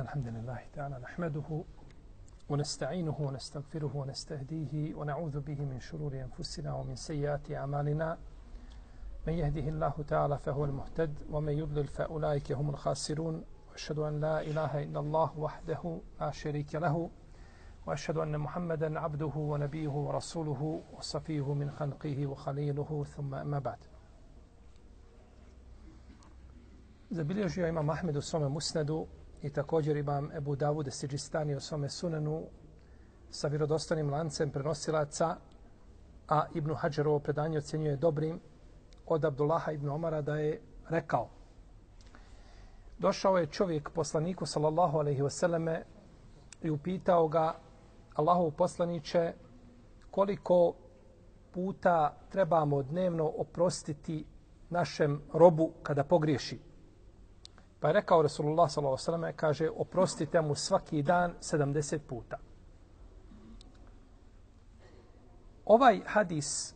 الحمد لله تعالى نحمده ونستعينه ونستغفره ونستهديه ونعوذ به من شرور أنفسنا ومن سيئات أعمالنا من يهده الله تعالى فهو المهتد ومن يضلل فأولئك هم الخاسرون وأشهد أن لا إله إلا الله وحده لا شريك له وأشهد أن محمدا عبده ونبيه ورسوله وصفيه من خلقه وخليله ثم أما بعد. Zabilježio imam Ahmed u svome musnedu i također imam Ebu Davud Sidžistani u svome sunenu sa vjerodostojnim lancem prenosilaca, a Ibn Hadžar ovo predanje ocjenjuje dobrim od Abdullaha ibn Omara da je rekao: došao je čovjek poslaniku sallallahu alejhi ve selleme i upitao ga: Allahov poslaniče, koliko puta trebamo dnevno oprostiti našem robu kada pogriješi? Pa je rekao Resulullah sallallahu alejhi ve selleme, kaže, oprostite mu svaki dan 70 puta. Ovaj hadis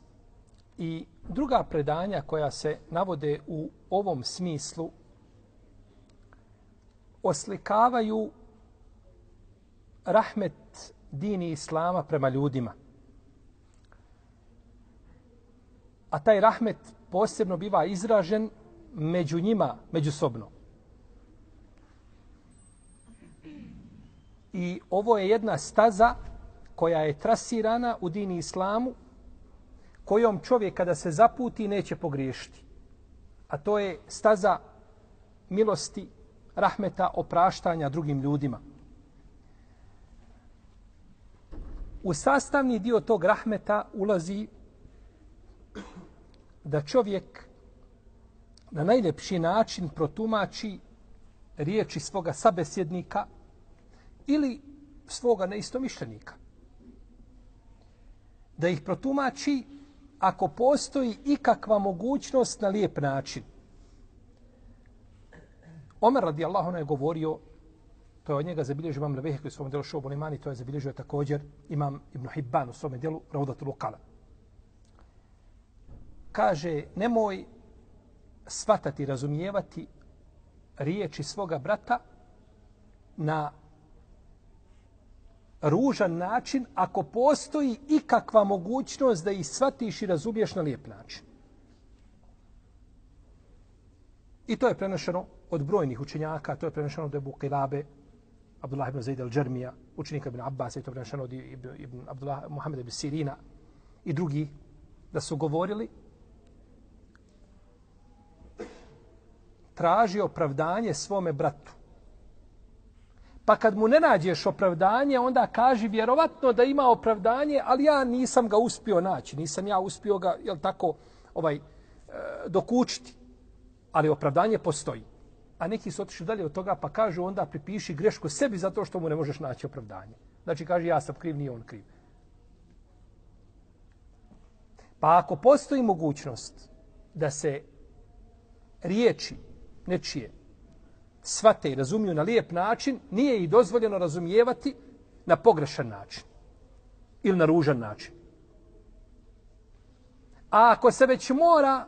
i druga predanja koja se navode u ovom smislu oslikavaju rahmet dini Islama prema ljudima. A taj rahmet posebno biva izražen među njima, međusobno. I ovo je jedna staza koja je trasirana u dini Islamu, kojom čovjek kada se zaputi neće pogriješiti. A to je staza milosti, rahmeta, opraštanja drugim ljudima. U sastavni dio tog rahmeta ulazi da čovjek na najljepši način protumači riječi svoga sabesjednika ili svoga neistomišljenika. Da ih protumači ako postoji ikakva mogućnost na lijep način. Omer radijallahu anhu je govorio, to je od njega zabilježio imam Levehek u svom delu Šu'bul Iman, to je zabilježio također imam Ibn Hibban u svom delu Ravdatul Uqala. Kaže, nemoj shvatati, razumijevati riječi svoga brata na ružan način ako postoji ikakva mogućnost da ih shvatiš i razumiješ na lijep način. I to je prenošeno od brojnih učenjaka, to je prenošeno od Ebu Qilabe, Abdullah ibn Zaid al-Džarmija, učenika ibn Abbas, i to je prenošeno od ibn Abdullah Muhammed ibn Sirina i drugi, da su govorili: traži opravdanje svome bratu. Pa kad mu ne nađeš opravdanje, onda kaži vjerovatno da ima opravdanje, ali ja nisam ga uspio naći, nisam ja uspio ga, jel tako, dokučiti. Ali opravdanje postoji. A neki su otišli dalje od toga pa kažu onda pripiši grešku sebi zato što mu ne možeš naći opravdanje. Znači kaže ja sam kriv, nije on kriv. Pa ako postoji mogućnost da se riječi nečije shvate i razumiju na lijep način, nije ih dozvoljeno razumijevati na pogrešan način ili na ružan način. A ako se već mora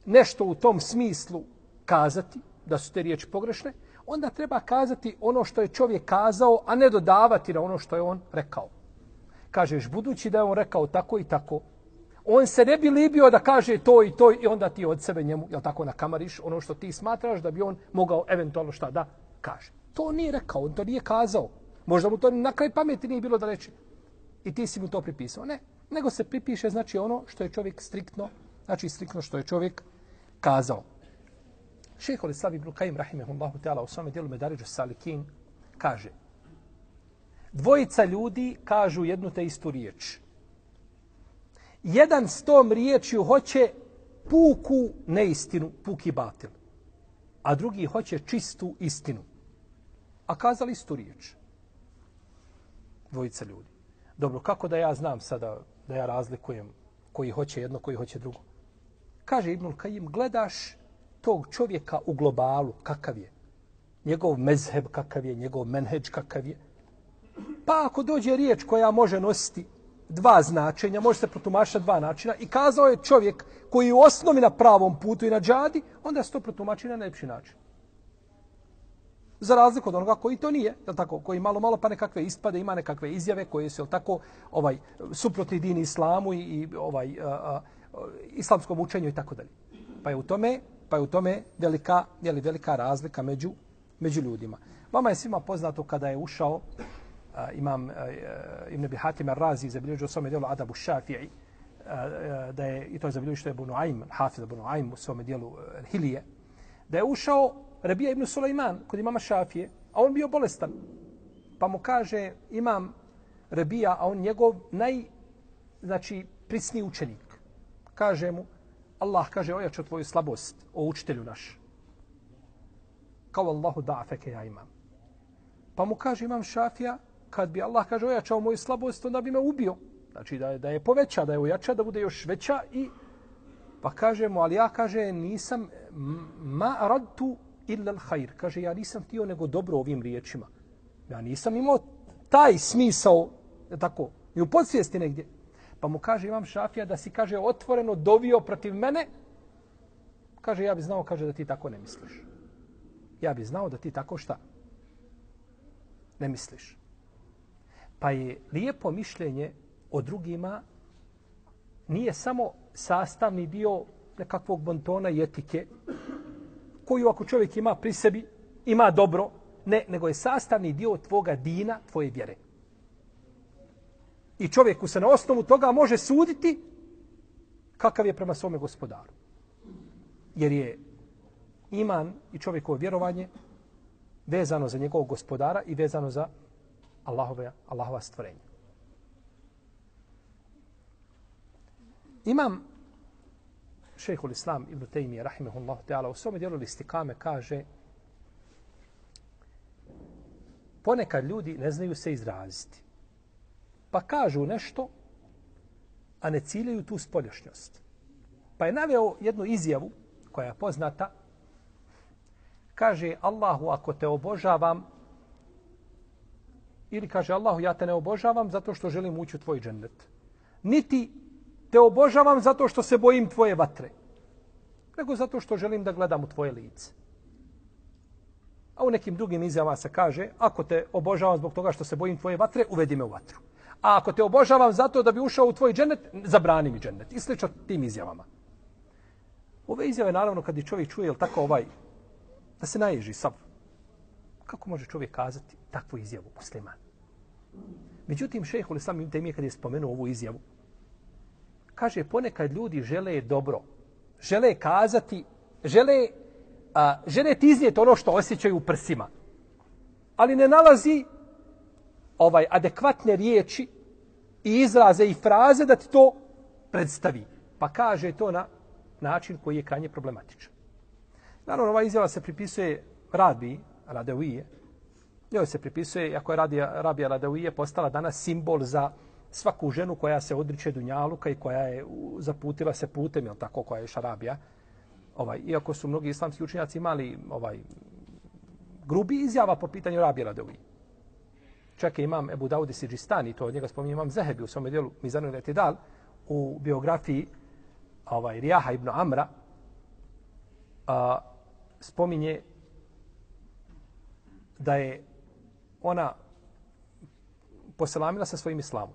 nešto u tom smislu kazati, da su te riječi pogrešne, onda treba kazati ono što je čovjek kazao, a ne dodavati na ono što je on rekao. Kažeš, budući da je on rekao tako i tako, on se ne bi libio da kaže to i onda ti od sebe njemu, jel tako, nakamariš ono što ti smatraš da bi on mogao eventualno šta da kaže. To nije rekao, on to nije kazao. Možda mu to na kraj pameti nije bilo da reče. I ti si mu to pripisao. Ne, nego se pripiše znači ono što je čovjek striktno, znači striktno što je čovjek kazao. Šejhul Islam ibn Kajim rahimehullahu ta'ala u svome djelu Medaridžus Salikin kaže: dvojica ljudi kažu jednu te istu riječ. Jedan s tom riječju hoće puku neistinu, puki batil. A drugi hoće čistu istinu. A kazali istu riječ. Dvojica ljudi. Dobro, kako da ja znam sada da ja razlikujem koji hoće jedno, koji hoće drugo? Kaže Ibnul Kajim, gledaš tog čovjeka u globalu, kakav je. Njegov mezheb kakav je, njegov menheđ kakav je. Pa ako dođe riječ koja može nositi dva značenja, može se protumačiti na dva načina i kazao je čovjek koji je u osnovi na pravom putu i na džadi, onda se to protumači na najljepši način. Za razliku od onoga koji to nije, je tako, koji malo pa nekakve ispade, ima nekakve izjave koje su, je tako, suprotni dini islamu i islamskom učenju i tako dalje. Pa je u tome velika razlika među ljudima. Vama je svima poznato kada je ušao imam Ibn Abi Hatim ar-Razi zabilježio u svome djelu Adabu Šafi'i, da je, i to je zabilježio što je Abu Nuaym, Hafiz Abu Nuaym u svome djelu Hilije, da je ušao Rabija ibn Sulejman kod imama Šafije, a on bio bolestan. Pa mu kaže imam Rabija, a on njegov prisniji učenik. Kaže mu, Allah kaže, ojačao tvoju slabost, o učitelju naš. Kao Allahu da'afeke ja imam. Pa mu kaže imam Šafija, kad bi Allah kaže ojačao moju slabost, onda bi me ubio. Znači da je poveća, da je ojača, da bude još veća i pa kaže mu, ali ja kaže nisam ma aradtu illa al-khair. Kaže ja nisam htio nego dobro ovim riječima. Ja nisam imao taj smisao, tako, ni u podsvijesti negdje. Pa mu kaže imam Šafija da si kaže otvoreno dovio protiv mene. Kaže ja bi znao kaže da ti tako ne misliš. Ja bi znao da ti tako šta? Ne misliš. Pa je lijepo mišljenje o drugima nije samo sastavni dio nekakvog bontona i etike koju ako čovjek ima pri sebi, ima dobro, ne, nego je sastavni dio tvoga dina, tvoje vjere. I čovjeku se na osnovu toga može suditi kakav je prema svome gospodaru. Jer je iman i čovjekovo vjerovanje vezano za njegovog gospodara i vezano za Allahova stvorenja. Imam šejhul Islam Ibn Tejmije, rahimehullahu ta'ala, u svome djelu Listikame kaže ponekad ljudi ne znaju se izraziti. Pa kažu nešto, a ne ciljaju tu spoljašnjost. Pa je naveo jednu izjavu koja je poznata. Kaže Allahu, ako te obožavam, ili kaže Allahu, ja te ne obožavam zato što želim ući u tvoj džennet. Niti te obožavam zato što se bojim tvoje vatre, nego zato što želim da gledam u tvoje lice. A u nekim drugim izjavama se kaže, ako te obožavam zbog toga što se bojim tvoje vatre, uvedi me u vatru. A ako te obožavam zato da bi ušao u tvoj džennet, zabrani mi džennet. I slično tim izjavama. Ove izjave, naravno, kad je čovjek čuje, jel tako da se naježi sav. Kako može čovjek kazati takvu izjavu musliman? Međutim, šejhul Islam Ibn Tejmije kad je spomenuo ovu izjavu, kaže ponekad ljudi žele dobro, žele kazati, žele ti iznijeti ono što osjećaju u prsima, ali ne nalazi adekvatne riječi i izraze i fraze da ti to predstavi. Pa kaže to na način koji je krajnje problematičan. Naravno, ova izjava se pripisuje Rabiji Radavije. Njoj se pripisuje, ako je Rabija Radavije postala danas simbol za svaku ženu koja se odriče dunjaluka i koja je zaputila se putem, jel tako, koja je šarabija. Iako su mnogi islamski učenjaci imali grubi izjava po pitanju Rabije Radavije. Čak je imam Ebu Daudi Sidžistani, to od njega spominje imam Zehebi u svome dijelu Mizanul Etidal, u biografiji Rijaha ibn Amra, spominje da je ona poselamila sa svojim islamom.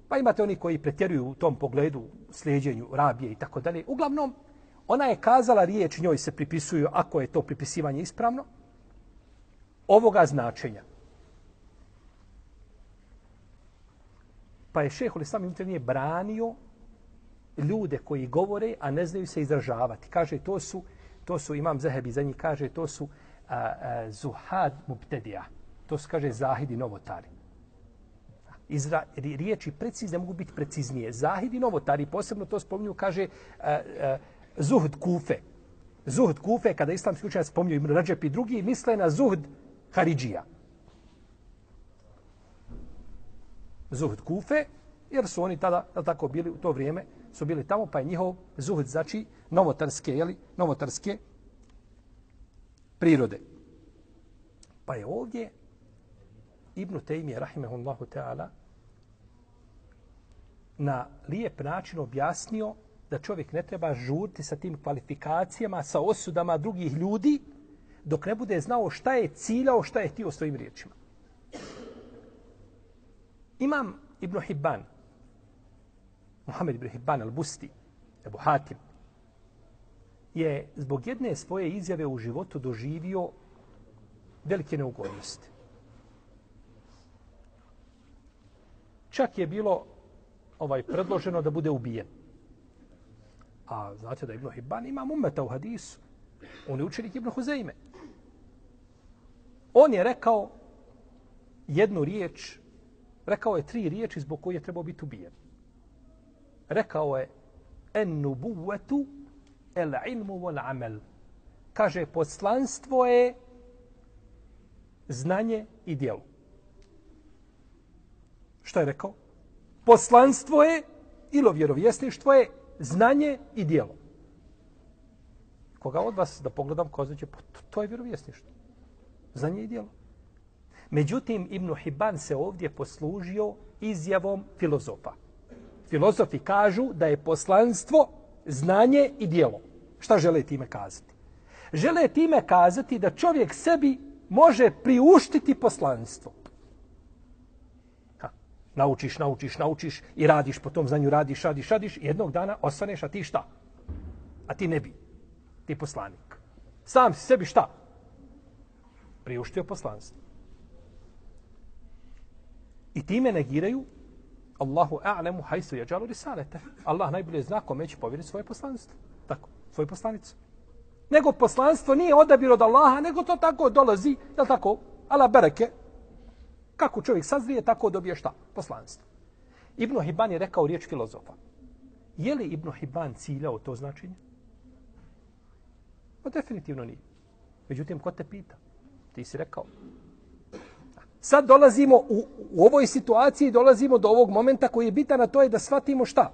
Pa imate oni koji pretjeruju u tom pogledu, slijedjenju Rabije i tako dalje. Uglavnom, ona je kazala riječ, njoj se pripisuju, ako je to pripisivanje ispravno, ovoga značenja. Pa je šejhul Islam Ibn Tejmije branio ljude koji govore, a ne znaju se izražavati. Kaže, to su imam Zehebi za njih, kaže, to su zuhad mubtedija. To su, kaže, zahidi novotari. Riječi precizne mogu biti preciznije. Zahidi novotari, posebno to spominju, kaže, zuhd kufe. Zuhd kufe, kada islamski učenjaci spominju Ibn Radžep i drugi, misle na zuhd haridžija. Zuhd kufe, jer su oni tada, tako bili u to vrijeme, su bili tamo, pa je njihov zuhd, znači novotarske prirode. Pa je ovdje Ibn Tejmije, rahimehullahu ta'ala, na lijep način objasnio da čovjek ne treba žuriti sa tim kvalifikacijama, sa osudama drugih ljudi, dok ne bude znao šta je ciljao, šta je htio svojim riječima. Imam Ibn Hibban, Muhammed Ibn Hibban al-Busti, Ebu Hatim, je zbog jedne svoje izjave u životu doživio velike neugodnosti. Čak je bilo predloženo da bude ubijen. A znate da Ibn Hibban ima ummeta u hadisu. On je učenik Ibn Huzeyme. On je rekao jednu riječ, rekao je 3 riječi zbog koje je trebao biti ubijen. Rekao je en nubuvetu el ilmu vol amel. Kaže, poslanstvo je znanje i djelo. Što je rekao? Poslanstvo je ili vjerovjesništvo je znanje i djelo. Koga od vas da pogledam, kozaće, to je vjerovjesništvo. Znanje i djelo. Međutim, Ibn Hibban se ovdje poslužio izjavom filozofa. Filozofi kažu da je poslanstvo znanje i djelo. Šta žele time kazati? Žele time kazati da čovjek sebi može priuštiti poslanstvo. Naučiš i radiš po tom znanju, radiš. I jednog dana ostaneš, a ti šta? A ti ne bi. Ti poslanik. Sam si sebi šta? Priuštio poslanstvo. I time negiraju Allahu a'lemu hajsu yajalu risalete. Allah najbolje zna kome će povjeriti svoje poslanstvo. Tako, svoju poslanicu. Nego poslanstvo nije odabir od Allaha, nego to tako dolazi, je tako, ala bereke. Kako čovjek sazrije, tako dobije šta? Poslanstvo. Ibn Hibban je rekao riječ filozofa. Je li Ibn Hibban ciljao to značenje? Pa definitivno nije. Međutim, ko te pita? Ti si rekao. Sad dolazimo u ovoj situaciji, dolazimo do ovog momenta koji je bitan, a to je da shvatimo šta?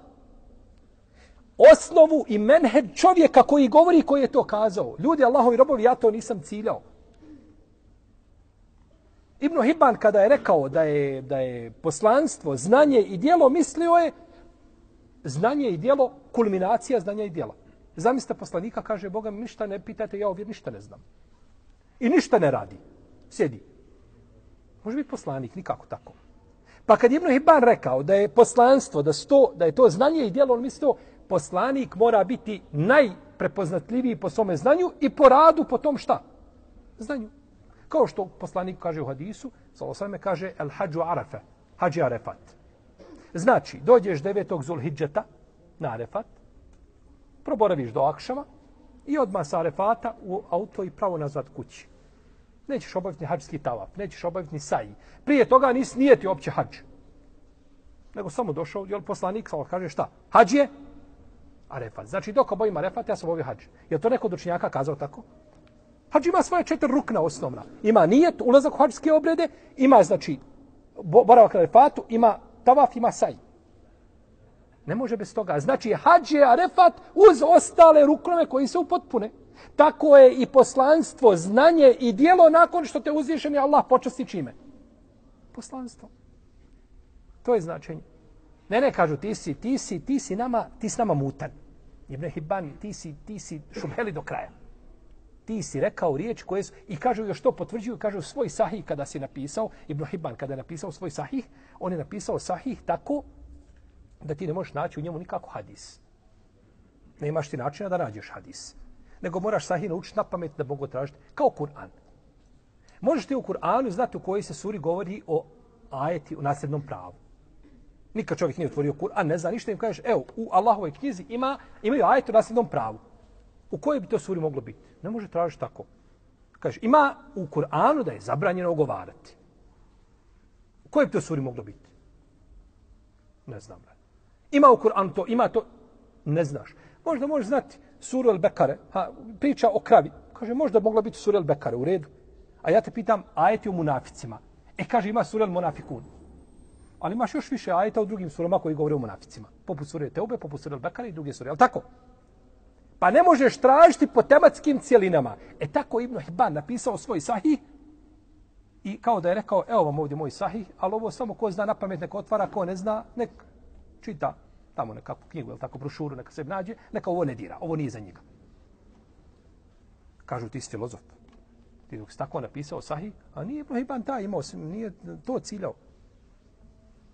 Osnovu i menheđ čovjeka koji govori, koji je to kazao. Ljudi, Allahovi robovi, ja to nisam ciljao. Ibn Hibban kada je rekao da je poslanstvo, znanje i djelo, mislio je znanje i djelo, kulminacija znanja i djela. Zamislite poslanika, kaže, Boga mi ništa ne pitate, ja ovdje ništa ne znam. I ništa ne radi. Sjedi. Može biti poslanik, nikako tako. Pa kad Ibn Hibban rekao da je poslanstvo, da je to znanje i djelo, on mislio, poslanik mora biti najprepoznatljiviji po svome znanju i po radu po tom šta? Znanju. Kao što poslanik kaže u hadisu, sallallahu kaže el hađu arafe, hađi arefat. Znači, dođeš 9. Zulhidžeta na Arefat, proboraviš do Akšama i odmah sa Arefata u auto i pravo nazad kući. Nećeš obaviti hađski tavaf, nećeš obaviti ni saji. Prije toga nije ti opće hađ. Nego samo došao, jel poslanik kaže šta? Hađ je Arefat. Znači, dok obavim Arefat, ja sam obavio hađ. Je to neko od učenjaka kazao tako? Hađ ima svoje 4 rukna osnovna. Ima nijet, ulazak u hađske obrede, ima, znači, boravak na Arefatu, ima tavaf, ima saj. Ne može bez toga. Znači, hađ je Arefat uz ostale ruknove koji se upotpune. Tako je i poslanstvo, znanje i djelo nakon što te uzvišeni Allah počasti čime? Poslanstvo. To je značenje. Ne, kažu, ti si nama mutan. Ibn Hibban, ti si šubheli do kraja. Ti si rekao riječ koje su, i kažu još to potvrđuju, kažu svoj sahih kada si napisao, Ibn Hibban kada je napisao svoj sahih, on je napisao sahih tako da ti ne možeš naći u njemu nikako hadis. Ne imaš ti načina da nađeš hadis. Nego moraš sahih naučiti na pamet da mogu tražiti. Kao Kur'an. Možeš ti u Kur'anu znati u kojoj se suri govori o ajeti u nasljednom pravu. Nikad čovjek nije otvorio Kur'an, ne zna ništa, im kažeš, evo, u Allahovoj knjizi imaju ajeti u nasljednom pravu. U kojoj bi to suri moglo biti? Ne može tražiti tako. Kažeš, ima u Kur'anu da je zabranjeno ogovarati. U kojoj bi to suri moglo biti? Ne znam. Ima u Kur'anu to, ima to, ne znaš. Možda možeš znati suru El-Bekare, priča o kravi. Kaže, možda mogla biti sura El-Bekare, u redu. A ja te pitam, ajeti o munaficima. Kaže, ima sura El-Munafikun. Ali imaš još više ajeta u drugim surama koji govore o munaficima. Poput sure Teube, poput sure El-Bekare i druge sure. Ali tako? Pa ne možeš tražiti po tematskim cijelinama. Tako Ibn Hibban napisao svoj sahih i kao da je rekao, evo vam ovdje moj sahih, ali ovo samo ko zna na pamet nek otvara, ko ne zna, nek čita tamo nekakvu knjigu, ili tako brošuru, neka se nađe, neka ovo ne dira, ovo nije za njega. Kažu, ti si filozof. Ti dok si tako napisao sahih, a nije Ibn Hibban taj imao, nije to ciljao.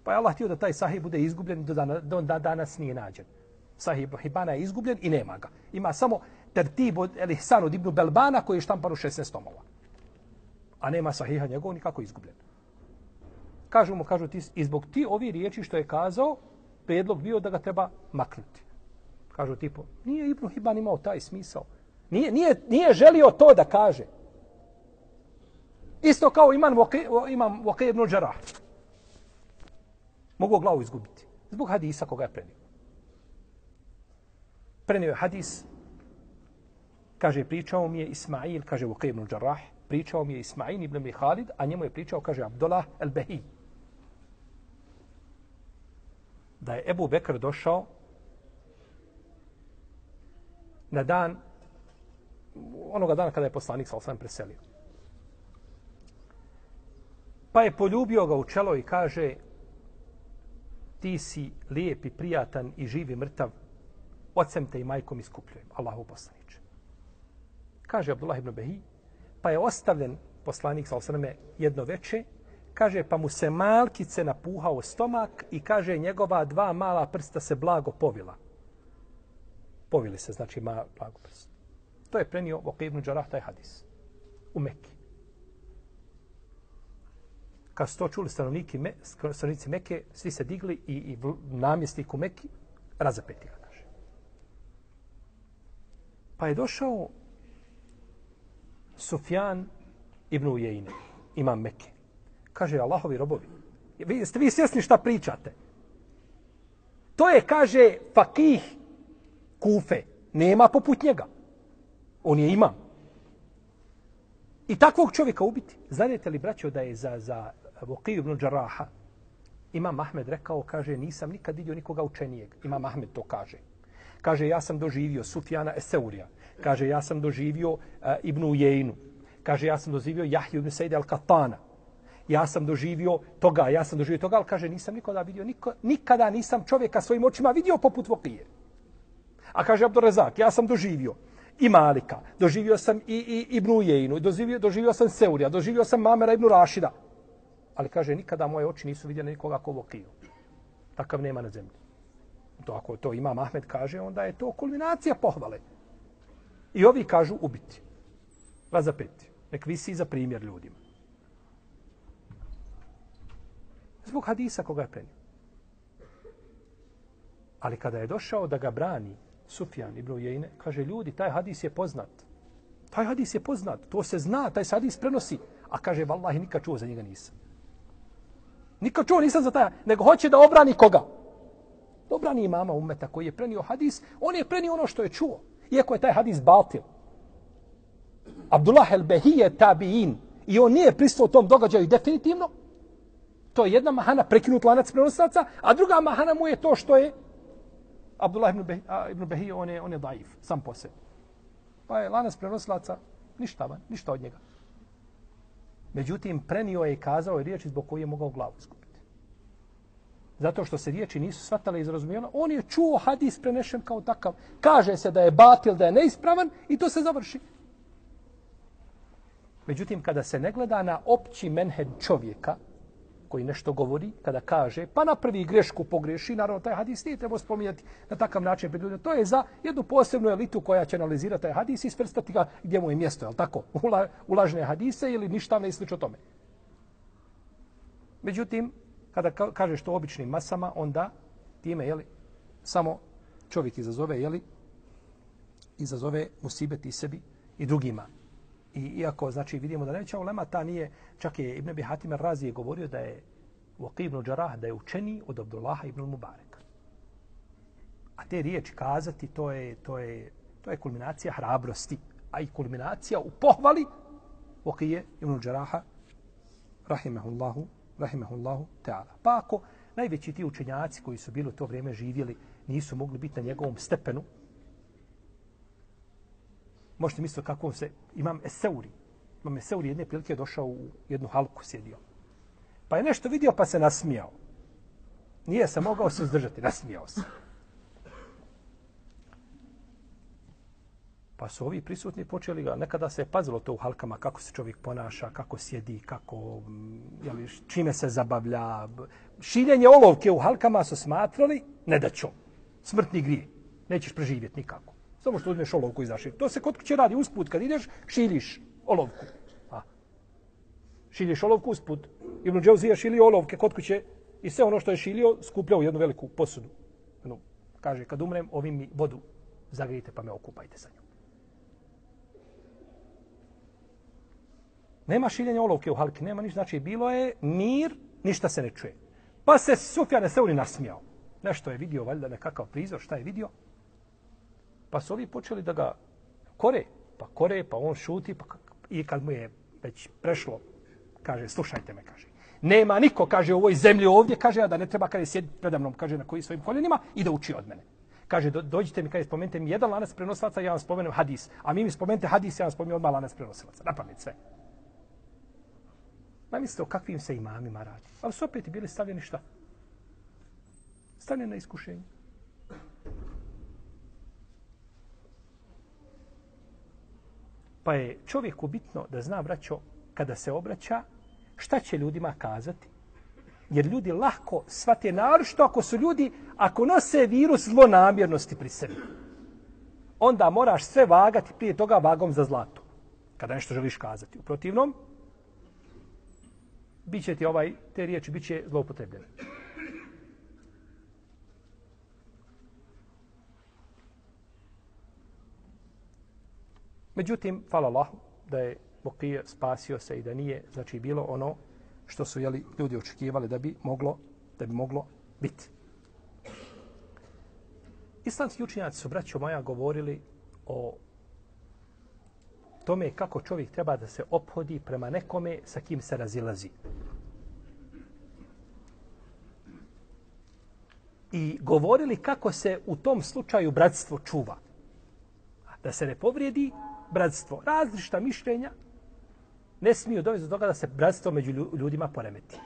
Pa je Allah htio da taj sahih bude izgubljen, do danas nije nađen. Sahih Ibn Hibbana je izgubljen i nema ga. Ima samo tertib od El-Ihsan od Ibn Belbana koji je štampan u 16 tomova. A nema sahiha njegov nikako izgubljen. Kažu ti, i zbog ti ovi riječi što je kazao, prijedlog bio da ga treba maknuti. Kažu tipo, nije Ibn Hibban imao taj smisao. Nije želio to da kaže. Isto kao imam Waqi ibn Jarrah. Mogu glavu izgubiti. Zbog hadisa koga je prenio. Prenio je hadis, kaže, pričao mi je Ismail, kaže Waqi ibn Jarrah, pričao mi je Ismail ibn Khalid, a njemu je pričao, kaže, Abdullah al-Bahi. Da je Ebu Bekr došao na dan, onoga dana kada je poslanik sallallahu alejhi ve sellem preselio. Pa je poljubio ga u čelo i kaže, ti si lijep i prijatan i živ i mrtav, ocem te i majkom iskupljujem, Allahu poslaniče. Kaže Abdullah ibn Bahi, pa je ostavljen poslanik sallallahu alejhi ve sellem jedno veče, kaže, pa mu se malkice napuhao stomak i kaže, njegova dva mala prsta se blago povila. Povili se, znači, blago prst. To je prenio Waqi ibn Jarrah taj hadis u Mekki. Kad su to čuli stanovnici Mekke, svi se digli i namjesnik u Mekki razapeti ga, kaže. Pa je došao Sufjan ibn Ujejne, imam Mekke. Kaže, Allahovi robovi, jeste vi svjesni šta pričate? To je, kaže, fakih Kufe. Nema poput njega. On je imam. I takvog čovjeka ubiti. Znate li, braćo, da je za Waqi ibn Jarraha imam Ahmed rekao, kaže, nisam nikad vidio nikoga učenijeg. Imam Ahmed to kaže. Kaže, ja sam doživio Sufjana Eseurija. Kaže, ja sam doživio Ibn Ujejnu. Kaže, ja sam doživio Jahju ibn Sejde al-Katana. Ja sam doživio toga, ali kaže, nisam nikoda vidio, nikada nisam čovjeka svojim očima vidio poput Waqije. A kaže Abdurrazak, ja sam doživio i Malika, doživio sam i Ibn Ujejnu, doživio sam Seurija, doživio sam Mamera ibn Rašida. Ali kaže, nikada moje oči nisu vidjeli nikoga ko Waqiju. Takav nema na zemlji. To ako to Imam Ahmed kaže, onda je to kulminacija pohvale. I ovi kažu ubiti. Razapeti. Nek visi za primjer ljudima. Zbog hadisa koga je prenio. Ali kada je došao da ga brani Sufjan ibn Ujejne, kaže, ljudi, taj hadis je poznat. Taj hadis je poznat. To se zna, taj hadis prenosi. A kaže, vallahi, nikad čuo za njega nisam. Nikad čuo nisam za taj, nego hoće da obrani koga? Da obrani imama ummeta koji je prenio hadis, on je prenio ono što je čuo. Iako je taj hadis batil. Abdullah el-Behi je tabiin i on nije prisutvovao tom događaju definitivno. To je jedna mahana, prekinut lanac prenosilaca, a druga mahana mu je to što je Abdullah ibn Behi, on je daif, sam po sebi. Pa je lanac prenosilaca ništa od njega. Međutim, prenio je i kazao je riječi zbog koje je mogao glavu izgubiti. Zato što se riječi nisu shvatale iz razumijevanja, on je čuo hadis prenešen kao takav. Kaže se da je batil, da je neispravan i to se završi. Međutim, kada se ne gleda na opći menhed čovjeka, koji nešto govori, kada kaže, pa napravi grešku, pogreši, naravno taj hadis nije trebao spominjati na takav način pred ljudima. To je za jednu posebnu elitu koja će analizirati taj hadis i svrstati ga gdje mu je mjesto, je li tako? Ulažne hadise ili ništavne i slično tome. Međutim, kada kažeš to običnim masama, onda time, jeli, samo čovjek izazove, jeli, izazove musibet i sebi i drugima. I iako, znači, vidimo da neća ulema, ta nije, čak je Ibn Abi Hatim ar-Razi je govorio da je Waqi ibn Jarrah, da je učeniji od Abdullaha ibn Mubareka. A te riječi kazati, to je kulminacija hrabrosti, a i kulminacija u pohvali Waqi ibn Jarraha, rahimahullahu ta'ala. Pa ako najveći ti učenjaci koji su bili u to vrijeme živjeli, nisu mogli biti na njegovom stepenu, možete misliti kako se Imam Eseuri jedne prilike došao u jednu halku, sjedio. Pa je nešto vidio pa se nasmijao. Nije se mogao suzdržati, nasmijao se. Pa su ovi prisutni počeli ga, nekada se je pazilo to u halkama, kako se čovjek ponaša, kako sjedi, kako, jeli, čime se zabavlja. Šiljenje olovke u halkama su smatrali nedaćom, smrtni grije. Nećeš preživjeti nikako. Samo što uzmeš olovku i zašilj. To se kod kuće radi usput, kad ideš, šiljiš olovku. Šiljiš olovku usput. Ibn Džauzija šilio olovke kod kuće i sve ono što je šilio skupljao u jednu veliku posudu. Kaže, kad umrem, ovim mi vodu zagrijite pa me okupajte sa njom. Nema šiljenja olovke u halki, nema ništa. Znači, bilo je mir, ništa se ne čuje. Pa se Sufjan es-Seuri nasmijao. Nešto je vidio, valjda nekakav prizor, šta je vidio? Pa su ovi počeli da ga kore, pa on šuti, i kad mu je već prešlo, kaže, slušajte me, kaže. Nema niko, kaže, u ovoj zemlji ovdje, kaže, a da ne treba, kaže, sjediti predamnom, kaže, na koji svojim koljenima i da uči od mene. Kaže, dođite mi, kaže, spomenite mi jedan lanac prenosilaca, ja vam spomenem hadis. A mi spomenite hadis, ja vam spomenem odmah lanac prenosilaca. Napamet sve. Ma mislite o kakvim se imamima radi. Ali su opet bili stavljeni šta? Stavljeni na iskušenje. Pa je čovjeku bitno da zna, braćo, kada se obraća, šta će ljudima kazati? Jer ljudi lahko shvate, naročito ako su ljudi, ako nose virus zlonamjernosti pri sebi, onda moraš sve vagati prije toga vagom za zlato. Kada nešto želiš kazati. U protivnom, biće ti te riječi biće zloupotrebljene. Međutim, hvala Allahu, da je Bokije spasio se i da nije, znači, bilo ono što su ljudi očekivali da bi moglo biti. Islamski učenjaci su, braćo moja, govorili o tome kako čovjek treba da se ophodi prema nekome sa kim se razilazi. I govorili kako se u tom slučaju bratstvo čuva. Da se ne povrijedi bratstvo. Različita mišljenja ne smiju dovesti do toga da se bratstvo među ljudima poremeti.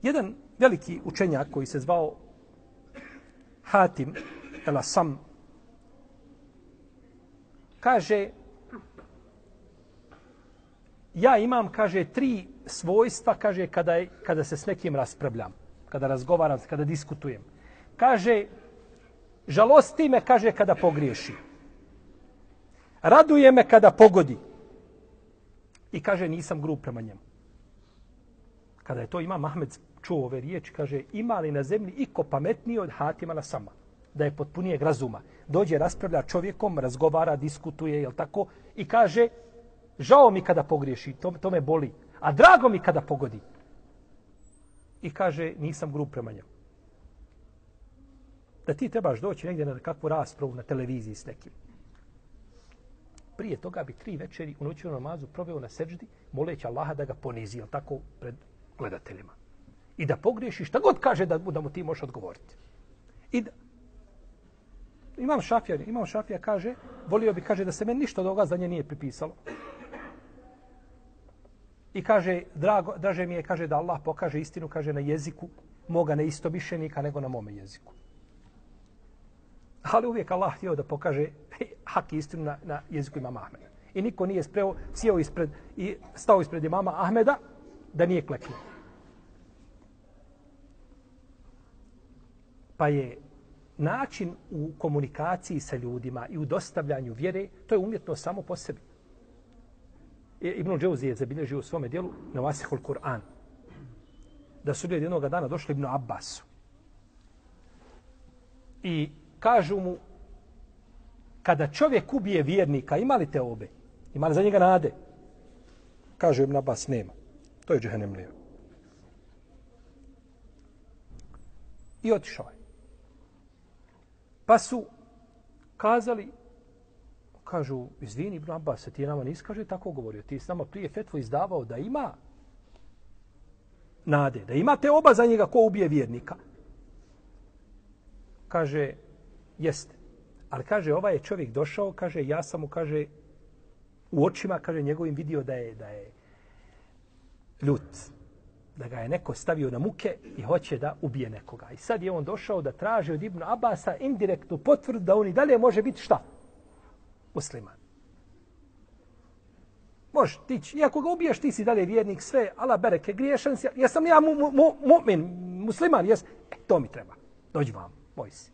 Jedan veliki učenjak koji se zvao Hatim el-Asam kaže, ja imam, kaže, 3 svojstva, kaže, kada se s nekim raspravljam, kada razgovaram, kada diskutujem. Kaže, žalosti me, kaže, kada pogriješi. Raduje me kada pogodi. I kaže, nisam grub prema njemu. Kada je to Imam Ahmed čuo ove riječi, kaže, ima li na zemlji iko pametniji od Hatima el-Asama? Da je potpunijeg razuma. Dođe, raspravlja čovjekom, razgovara, diskutuje, jel tako? I kaže, žao mi kada pogriješi, to me boli. A drago mi kada pogodi. I kaže, nisam grub prema njemu. Da ti trebaš doći negdje na kakvu raspravu na televiziji s nekim. Prije toga bi 3 večeri u noćnom namazu proveo na seždi, moleći Allaha da ga ponizi, jel tako, pred gledateljima. I da pogriješi šta god kaže da mu ti možeš odgovoriti. I da, Imam Šafija kaže, volio bi, kaže, da se meni ništa od ovoga za nje nije pripisalo. I kaže, draže mi je, kaže, da Allah pokaže istinu, kaže, na jeziku moga neistomišljenika nego na mome jeziku. Ali uvijek Allah htio da pokaže hak i istinu na jeziku imama Ahmeda. I niko nije stao ispred imama Ahmeda da nije kleknuo. Pa je način u komunikaciji sa ljudima i u dostavljanju vjere, to je umjetno samo po sebi. Ibn Džauzi je zabilježio u svome dijelu Nawasihul Kur'an. Da su ljudi jednog dana došli Ibn Abbasu. I kažu mu, kada čovjek ubije vjernika, ima li te obe? Ima li za njega nade? Kaže Ibn Abbas, nema. To je džehennemlija. I otišao je. Pa su kazali, kažu, izvini Ibn Abbas, ti nama nisi, kaže, tako govorio. Ti s nama prije fetvu izdavao da ima nade, da imate oba za njega ko ubije vjernika. Kaže, jeste. Ali kaže, ovaj je čovjek došao, kaže, ja sam mu, kaže, u očima, kaže, njegovim vidio da je ljut. da ga je neko stavio na muke i hoće da ubije nekoga. I sad je on došao da traži od Ibn Abasa indirektnu potvrdu da on i dalje može biti šta? Musliman. Može, ti, iako ga ubiješ, ti si dalje vjernik, sve, ala bereke, griješan si, jesam ja mu'min, musliman, jes, to mi treba. Dođi vam, moj si.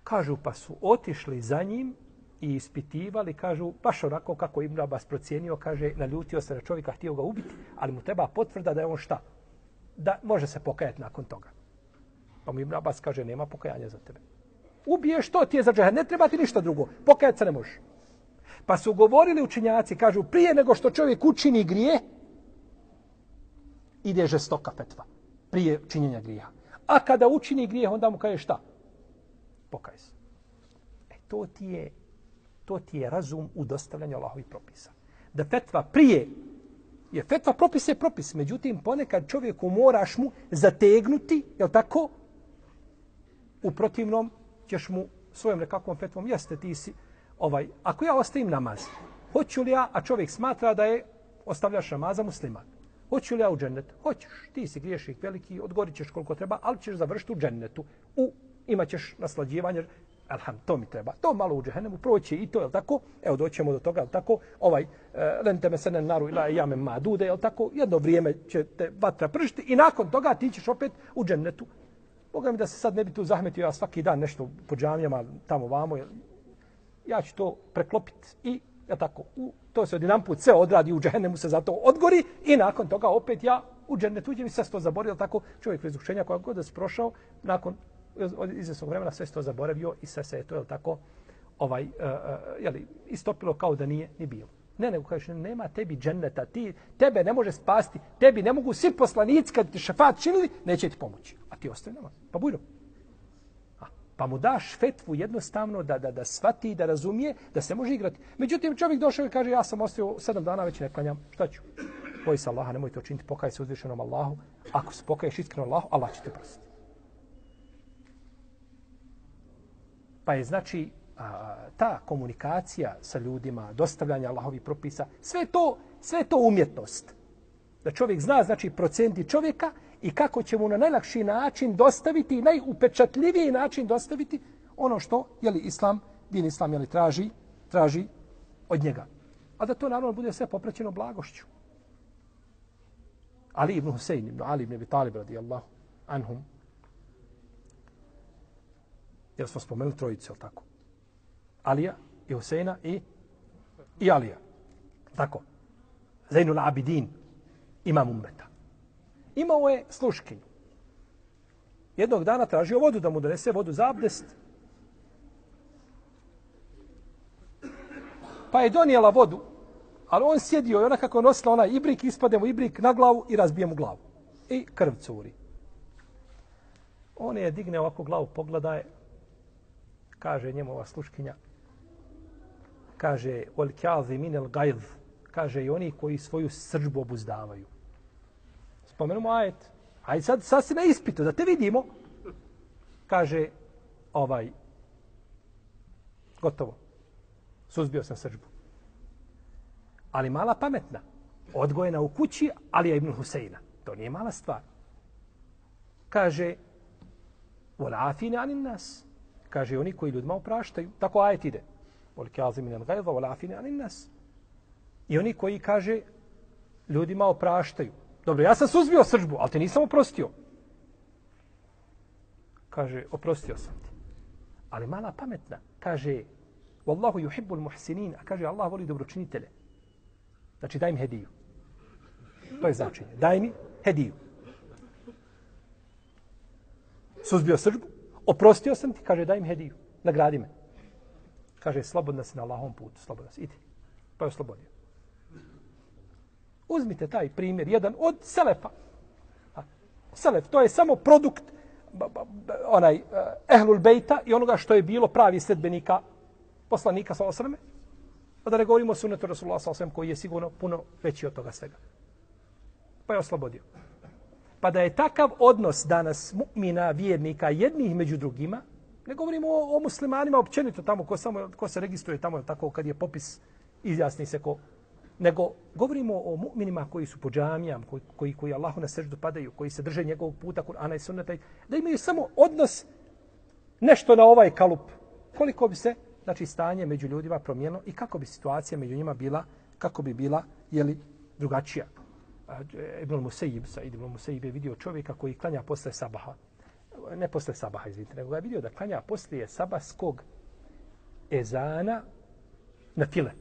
Kažu, pa su otišli za njim i ispitivali, kažu, baš onako kako Ibn Abbas procijenio, kaže, naljutio se na čovjeka, htio ga ubiti, ali mu treba potvrda da je on šta? Da može se pokajati nakon toga. Pa mu Ibn Abbas kaže, nema pokajanja za tebe. Ubiješ, to ti je za džehennem, ne treba ti ništa drugo, pokajati se ne može. Pa su govorili učenjaci, kažu, prije nego što čovjek učini grije, ide žestoka fetva, prije činjenja grija. A kada učini grijeh, onda mu kaže šta? Pokaj se. To ti je razum u dostavljanju Allahovih propisa. Da fetva prije, je fetva propis je propis, međutim ponekad čovjeku moraš mu zategnuti, jel tako? U protivnom ćeš mu svojom nekakvom fetvom, jeste ti si, ako ja ostavim namaz, hoću li ja, a čovjek smatra da je ostavljaš namaza musliman, hoću li ja u džennet? Hoćeš, ti si griješnik veliki, odgorit ćeš koliko treba, ali ćeš završiti u džennetu. Imat ćeš naslađivanje, to mi treba. To malo u džehennemu proći i to, je li tako? Evo, doćemo do toga, je li tako? Lenteme se naru ila jame madude, je li tako? Jedno vrijeme će te vatra pržiti i nakon toga ti ćeš opet u džennetu. Boga mi da se sad ne bi tu zahmetio ja svaki dan nešto po džamijama, tamo vamo, ja ću to preklopiti i, je tako, to se odjedanput sve odradi, u džehennemu se zato odgori i nakon toga opet ja u džennetu uđem i sve se to zaboravio, tako čovjek bez učenja koja god da se prošao, nakon izvjesnog vremena sve se to zaboravio i sve se je to, je tako, istopilo kao da nije ni bilo. Ne, nego kažeš, nema tebi dženneta, tebe ne može spasti, tebi ne mogu svi poslanici kad ti šefat činili, neće ti pomoći. A ti ostaje namaz. Pa bujno. Pa mu daš fetvu jednostavno da shvati, da razumije, da se može igrati. Međutim, čovjek došao i kaže, ja sam ostao 7 dana, već ne klanjam. Šta ću? Boji se Allaha, nemoj to činiti, pokaj se uzvišenom Allahu. Ako se pokaješ iskreno Allahu, Allah će te prostiti. Pa je znači ta komunikacija sa ljudima, dostavljanje Allahovih propisa, sve to umjetnost. Da čovjek zna, znači, procenti čovjeka i kako će mu na najlakši način dostaviti, najupečatljiviji način dostaviti ono što, din Islam, traži od njega. A da to naravno bude sve popraćeno blagošću. Ali ibn Husein, ibn Ali ibn Abi Talib radijallahu anhum, jer smo spomenuli trojicu, je li tako? Alija i Huseina i Alija. Tako. Zainul Abidin, imam ummeta. Imao je sluškinju. Jednog dana tražio vodu, da mu donese vodu za abdest. Pa je donijela vodu, ali on sjedio i ona kako je nosila onaj ibrik, ispade mu ibrik na glavu i razbije mu glavu. I krv curi. On je digne ovako glavu, pogleda je, kaže njemu ova sluškinja, kaže, wal kazimin al gajz, kaže i oni koji svoju srdžbu obuzdavaju. Spomenemo ajet. Ajde sad si na ispitu, da te vidimo. Kaže, gotovo. Suzbio sam srdžbu. Ali mala pametna. Odgojena u kući Alija ibn Huseina. To nije mala stvar. Kaže, wal afina anin nas. Kaže, oni koji ljudima opraštaju. Tako ajet ide. Wal kazimin al gajz, wal afina anin nas. I oni koji, kaže, ljudima opraštaju. Dobro, ja sam suzbio srdžbu, ali te nisam oprostio. Kaže, oprostio sam ti. Ali mala pametna. Kaže, Wallahu yuhibbul muhsinin. A kaže, Allah voli dobročinitelje. Znači, daj mi hediju. To je značenje. Daj mi hediju. Suzbio srdžbu, oprostio sam ti, kaže, daj mi hediju. Nagradi me. Kaže, slobodna si na Allahovom putu. Slobodna si. Idi. Pa je oslobodio. Uzmite taj primjer, jedan od selefa. Selef, to je samo produkt ehlul bejta i onoga što je bilo pravi sledbenika poslanika sallallahu alejhi ve selleme. A da ne govorimo o sunnetu Rasulullah sallallahu alejhi ve sellem koji je sigurno puno veći od toga svega. Pa je oslobodio. Pa da je takav odnos danas mu'mina, vjernika, jednih među drugima, ne govorimo o muslimanima općenito tamo ko se registruje tamo, tako kad je popis, izjasni se ko nego govorimo o mu'minima koji su po džamijama, koji Allahu na seždu padaju, koji se drže njegovog puta, Kur'ana i sunneta, da imaju samo odnos nešto na ovaj kalup. Koliko bi se, znači, stanje među ljudima promijenilo i kako bi situacija među njima bila, kako bi bila, jeli, drugačija. Ibn Musejib, Said ibn Musejib je vidio čovjeka koji klanja posle sabaha. Ne posle sabaha, izvinite, nego ga je vidio da klanja poslije sabahskog ezana na file.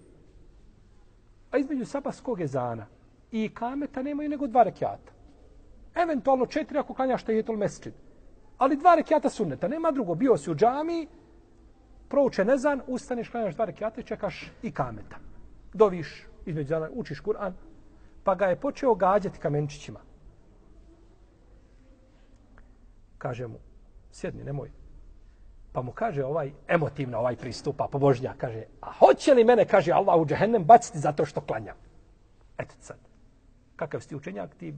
A između sabahskog ezana i ikameta nemaju nego 2 rekjata. Eventualno 4 ako klanjaš tahijetul mesdžid. Ali 2 rekjata sunneta, nema drugo. Bio si u džamiji, proučen ezan, ustaneš, klanjaš 2 rekjata i čekaš ikameta. Doviš između ezana, učiš Kur'an, pa ga je počeo gađati kamenčićima. Kaže mu, sjedni, nemoj. Pa mu kaže emotivno pristupa, pobožnja, kaže, a hoće li mene, kaže Allah, u džehennem baciti zato što klanjam? Eto sad, kakav si ti učenjak, ti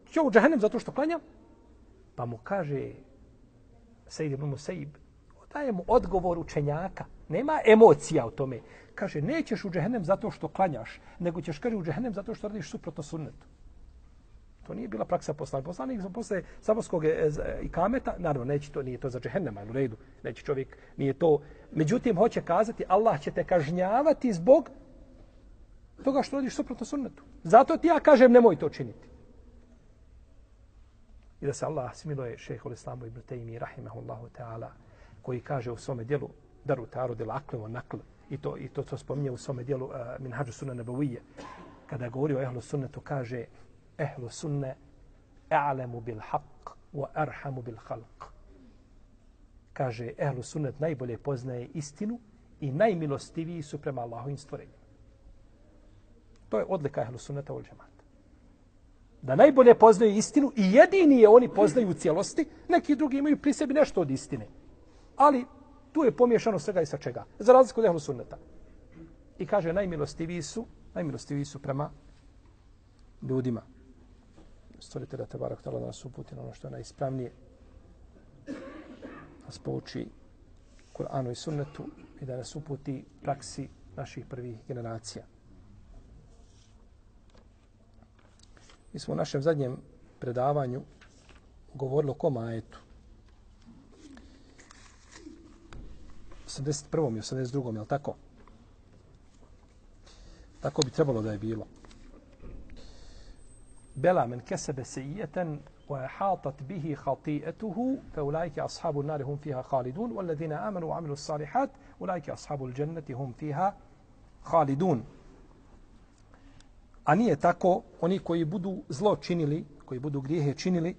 će u džehennem zato što klanjam? Pa mu kaže, Sejid ibn Musejib, daje mu odgovor učenjaka, nema emocija u tome. Kaže, nećeš u džehennem zato što klanjaš, nego ćeš, kaže, u džehennem zato što radiš suprotno sunnetu. To nije bila praksa poslanika. Poslanik posle sabahskog ikameta, naravno, nije to za džehennema, u redu, neće čovjek, nije to. Međutim, hoće kazati, Allah će te kažnjavati zbog toga što radiš suprotno sunnetu. Zato ti ja kažem, nemoj to činiti. I da se Allah smiluje šejhul Islamu ibn Tejmi, rahimahullahu ta'ala, koji kaže u svome dijelu Daru ta'arudil aqli wa naql, i to spominje u svome dijelu Minhadžu Sunan Nabawiyje, kada govori o ehlu sunnetu, kaže ehlu sunne a'lamu bil haqq wa arhamu bil khalq. Kaže, ehlu sunnet najbolje poznaje istinu i najmilostiviji su prema Allahovim stvorenjima. To je odlika ehlu sunneta wal džemata. Da najbolje poznaju istinu i jedini je oni poznaju u cijelosti, neki drugi imaju pri sebi nešto od istine. Ali tu je pomiješano svega i sa čega. Za razliku od ehlu sunneta. I kaže, najmilostiviji su prema ljudima. Stvoritelja Tebarak Tala da nas uputi na ono što je najispravnije. Nas pouči Kur'anu i sunnetu i da nas uputi praksi naših prvih generacija. Mi smo u našem zadnjem predavanju govorili o kom ajetu? 81. i 82. je li tako? Tako bi trebalo da je bilo. Bela men kesebe sejijeten wa hatat bihi khati'atuhu fa ulaika ashabu an-nar hum fiha khalidun wal ladina amanu wa amilus salihat ulaika ashabul jannati hum fiha khalidun. A nije tako, oni koji budu zlo činili, koji budu grijehe činili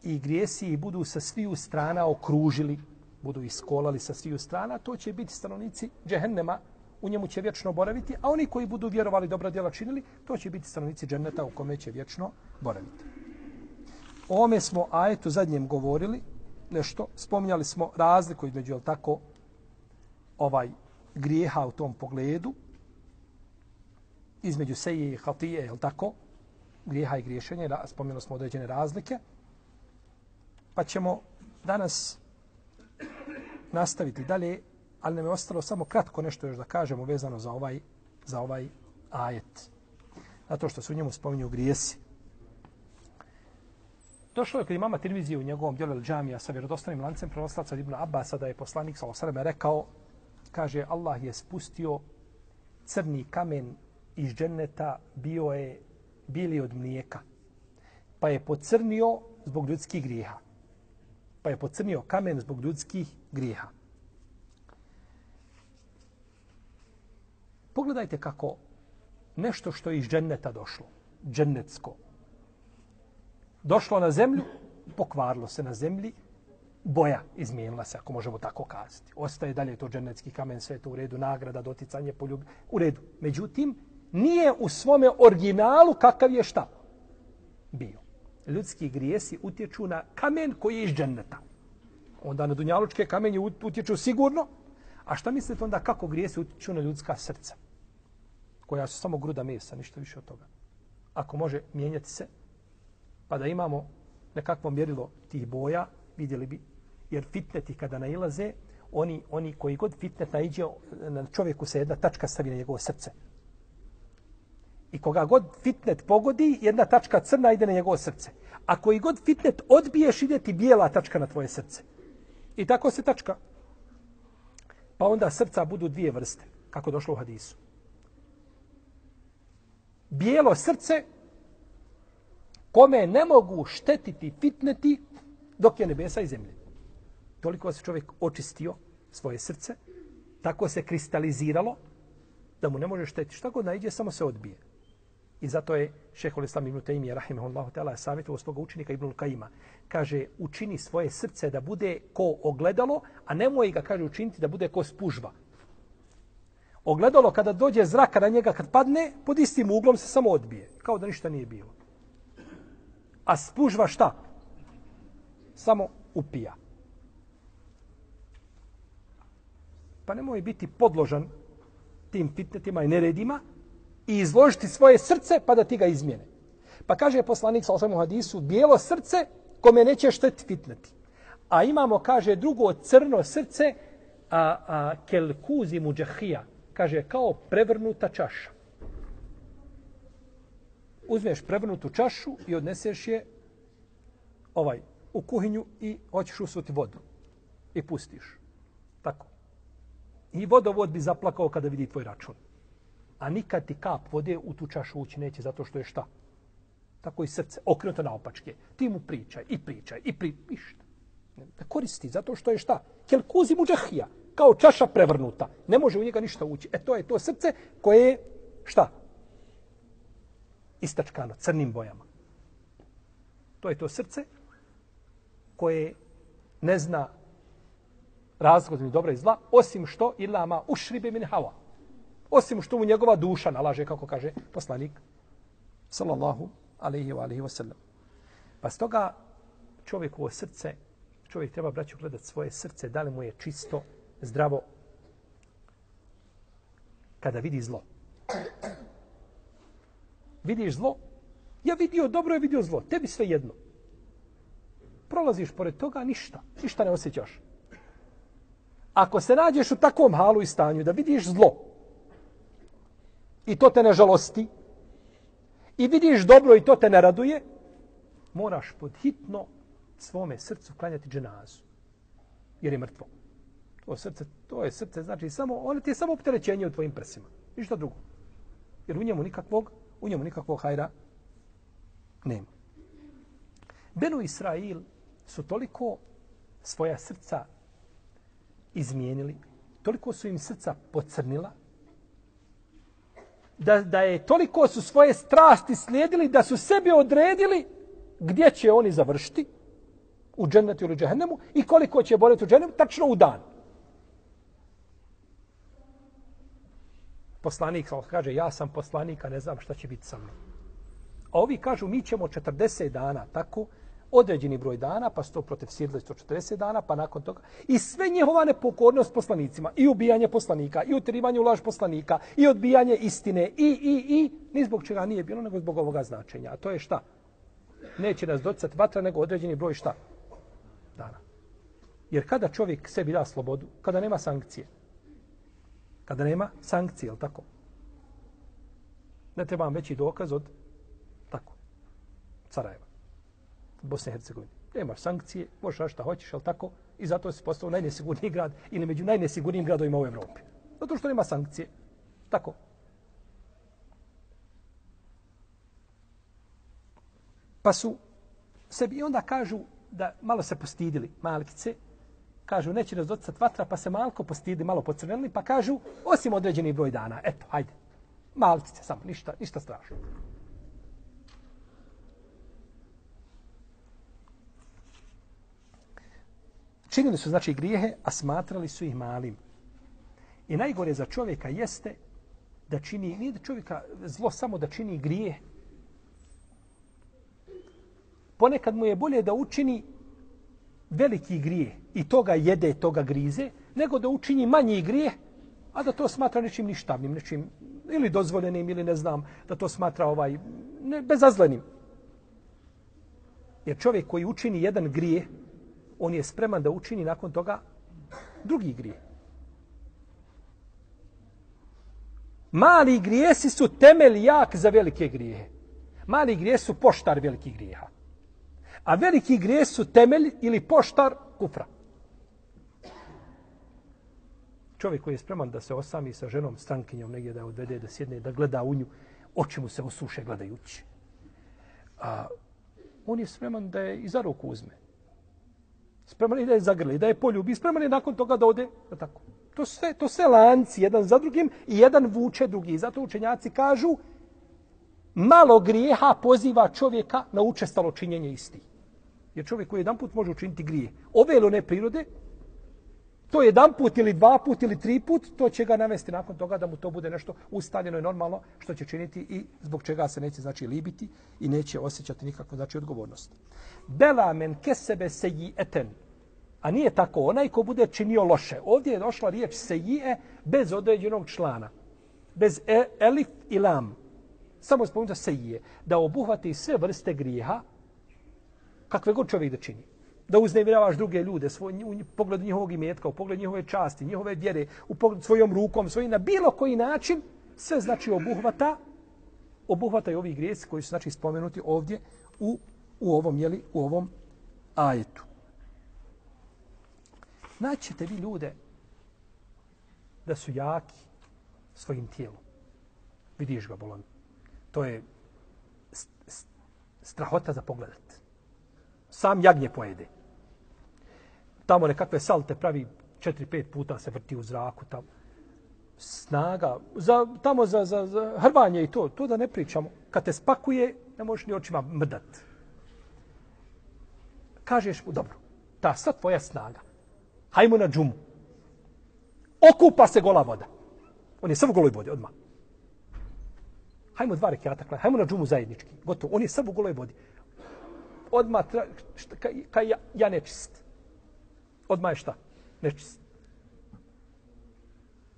i grijesi ih budu sa sviju strana okružili, budu iskolali sa sviju strana, to će biti stanovnici džehennema, u njemu će vječno boraviti, a oni koji budu vjerovali, dobra djela činili, to će biti stanovnici dženneta u kome će vječno boraviti. O ovome smo ajetu zadnjem govorili nešto, spominjali smo razliku između, jel tako, grijeha u tom pogledu, između seje i hatije, jel tako, grijeha i griješenja, spomenuli smo određene razlike, pa ćemo danas nastaviti dalje, ali nam je ostalo samo kratko nešto još da kažemo vezano za ovaj ajet. Zato što se u njemu spominju grijesi. Došlo je kod imama Tirmizije u njegovom djelu El Džamija sa vjerodostojnim lancem prenoslaca od Ibn Abbasa da je poslanik sallallahu alejhi ve sellem rekao, kaže, Allah je spustio crni kamen iz dženneta, bili od mlijeka. Pa je pocrnio zbog ljudskih grijeha. Pa je pocrnio kamen zbog ljudskih grijeha. Pogledajte kako nešto što je iz dženneta došlo, džennetsko, došlo na zemlju, pokvarilo se na zemlji, boja izmijenila se, ako možemo tako kazati. Ostaje dalje to džennetski kamen, sve to u redu, nagrada, doticanje, poljub, u redu. Međutim, nije u svome originalu kakav je šta bio. Ljudski grijesi utječu na kamen koji je iz dženneta. Onda na dunjalučke kamenje utječu sigurno. A šta mislite onda kako grijesi utječu na ljudska srca? Koja su samo gruda mesa, ništa više od toga. Ako može mijenjati se, pa da imamo nekakvo mjerilo tih boja, vidjeli bi, jer fitneti kada nailaze, oni koji god fitnet naiđe, na čovjeku se jedna tačka stavi na njegovo srce. I koga god fitnet pogodi, jedna tačka crna ide na njegovo srce. A koji god fitnet odbiješ, ide ti bijela tačka na tvoje srce. I tako se tačka. Pa onda srca budu dvije vrste, kako došlo u hadisu. Bijelo srce kome ne mogu štetiti fitneti dok je nebesa i zemlje. Toliko se čovjek očistio svoje srce, tako se kristaliziralo da mu ne može štetiti. Šta god naiđe, samo se odbije. I zato je šejhul Islam ibn Tejmije rahimehullahu ta'ala savjetovao svoga učenika Ibnul Kajima. Kaže, učini svoje srce da bude ko ogledalo, a nemoj ga, kaže, učiniti da bude ko spužva. Ogledalo kada dođe zraka na njega, kad padne, pod istim uglom se samo odbije. Kao da ništa nije bilo. A spužva šta? Samo upija. Pa nemoj biti podložan tim fitnetima i neredima i izložiti svoje srce pa da ti ga izmijene. Pa kaže poslanik sallallahu alejhi ve sellem u hadisu, bijelo srce kome neće štetiti fitneti. A imamo, kaže, drugo crno srce, kel kuzi muđahija, kaže, kao prevrnuta čaša. Uzmeš prevrnutu čašu i odneseš je u kuhinju i hoćeš usuti vodu. I pustiš. Tako. I vodovod bi zaplakao kada vidi tvoj račun. A nikad ti kap vode u tu čašu ući neće zato što je šta? Tako i srce, okrenuto naopačke. Ti mu pričaj. Ništa. Ne koristi zato što je šta? Kel kuzi muđahija. Kao čaša prevrnuta. Ne može u njega ništa ući. To je to srce koje je šta? Istačkano, crnim bojama. To je to srce koje ne zna razlog ni dobra i zla, osim što ilama ušribe min hawa. Osim što mu njegova duša nalaže, kako kaže poslanik sallallahu alejhi ve sellem. Pa stoga čovjekovo srce, čovjek treba, braćo, gledati svoje srce, da li mu je čisto, zdravo, kada vidi zlo. Vidiš zlo? Ja vidio dobro, je vidio zlo. Tebi sve jedno. Prolaziš pored toga, ništa ne osjećaš. Ako se nađeš u takvom halu i stanju da vidiš zlo i to te ne žalosti i vidiš dobro i to te ne raduje, moraš podhitno svome srcu klanjati dženazu. Jer je mrtvo. To je srce, znači ono ti je samo opterećenje u tvojim prsima. Ništa drugo. Jer u njemu nikakvog hajra nema. Benu Israil su toliko svoja srca izmijenili, toliko su im srca pocrnila, da je toliko su svoje strasti slijedili, da su sebi odredili gdje će oni završiti, u džennetu ili džehennemu, i koliko će boljeti u džehennemu, tačno u dan. Poslanik kaže, ja sam poslanik, a ne znam šta će biti sa mnom. A ovi kažu, mi ćemo 40 dana, tako, određeni broj dana, pa su to protefsirili 140 dana, pa nakon toga. I sve njihova nepokornost poslanicima, i ubijanje poslanika, i utjerivanje u laž poslanika, i odbijanje istine, i ni zbog čega nije bilo, nego zbog ovoga značenja. A to je šta? Neće nas doticati vatra, nego određeni broj šta? Dana. Jer kada čovjek sebi da slobodu, kada nema sankcije, je li tako? Ne treba vam veći dokaz od tako, Sarajeva, Bosne i Hercegovine. Nemaš sankcije, možeš raditi šta hoćeš, ali tako, i zato si postao najnesigurniji grad ili među najnesigurnijim gradovima u Evropi. Zato što nema sankcije. Tako. Pa su sebi i onda kažu da malo se postidili Malkice, kažu neće nas doticati vatra, pa se malko postidi, malo pocrvenili, pa kažu osim određeni broj dana. Eto, hajde. Malkice samo, ništa strašno. Činili su, znači, grijehe, a smatrali su ih malim. I najgore za čovjeka jeste da čini, nije da čovjeka zlo samo da čini grijeh. Ponekad mu je bolje da učini veliki grijeh i toga jede, toga grize, nego da učini manji grijeh, a da to smatra nečim ništavnim, nečim ili dozvoljenim, ili ne znam, da to smatra bezazlenim. Jer čovjek koji učini jedan grijeh, on je spreman da učini nakon toga drugi grijeh. Mali grijesi su temelj jak za velike grijehe. Mali grijesi su poštar velikih grijeha. A veliki grijesi su temelj ili poštar kufra. Čovjek koji je spreman da se osami sa ženom, strankinjom, negdje da je odvede, da sjedne, da gleda u nju, oči mu se osuše gledajući. On je spreman da je i za ruku uzme. Spreman je da je zagrli, da je poljubi, spreman je nakon toga da ode. Da tako. To sve lanci, jedan za drugim i jedan vuče drugi. Zato učenjaci kažu, malo grijeha poziva čovjeka na učestalo činjenje isti. Jer čovjek koji jedan put može učiniti grije, ove ili one prirode, to jedan put ili dva put ili tri put, to će ga navesti nakon toga da mu to bude nešto ustaljeno i normalno što će činiti i zbog čega se neće znači libiti i neće osjećati nikakvu znači odgovornost. Bela men kesebe seji'eten. A nije tako, onaj ko bude činio loše. Ovdje je došla riječ seji'e bez određenog člana. Bez elif i lam. Samo spomenuta seji'e. Da obuhvati sve vrste grijeha kakve god čovjek da čini. Da uznemiravaš druge ljude, u pogledu njihovog imetka, u pogledu njihove časti, njihove vjere, u pogledu svojom rukom, svojim na bilo koji način, sve znači obuhvata i ovih grijesi koji su znači spomenuti ovdje u ovom ajetu. Naćete vi ljude da su jaki svojim tijelom. Vidiš ga, bolan. To je strahota za pogledat. Sam jagnje pojede. Tamo nekakve salte pravi 4-5 puta se vrti u zraku. Tamo. Snaga. Tamo za hrvanje i to da ne pričamo. Kad te spakuje, ne možeš ni očima mrdat. Kažeš mu, dobro, ta sad tvoja snaga. Hajmo na džumu. Okupa se gola voda. On je sav u goloj vodi, odmah. Hajmo 2 rekata, hajmo na džumu zajednički. Gotovo, on je sav u goloj vodi. Odmah, ja nečist. Odmah je šta? Nečist.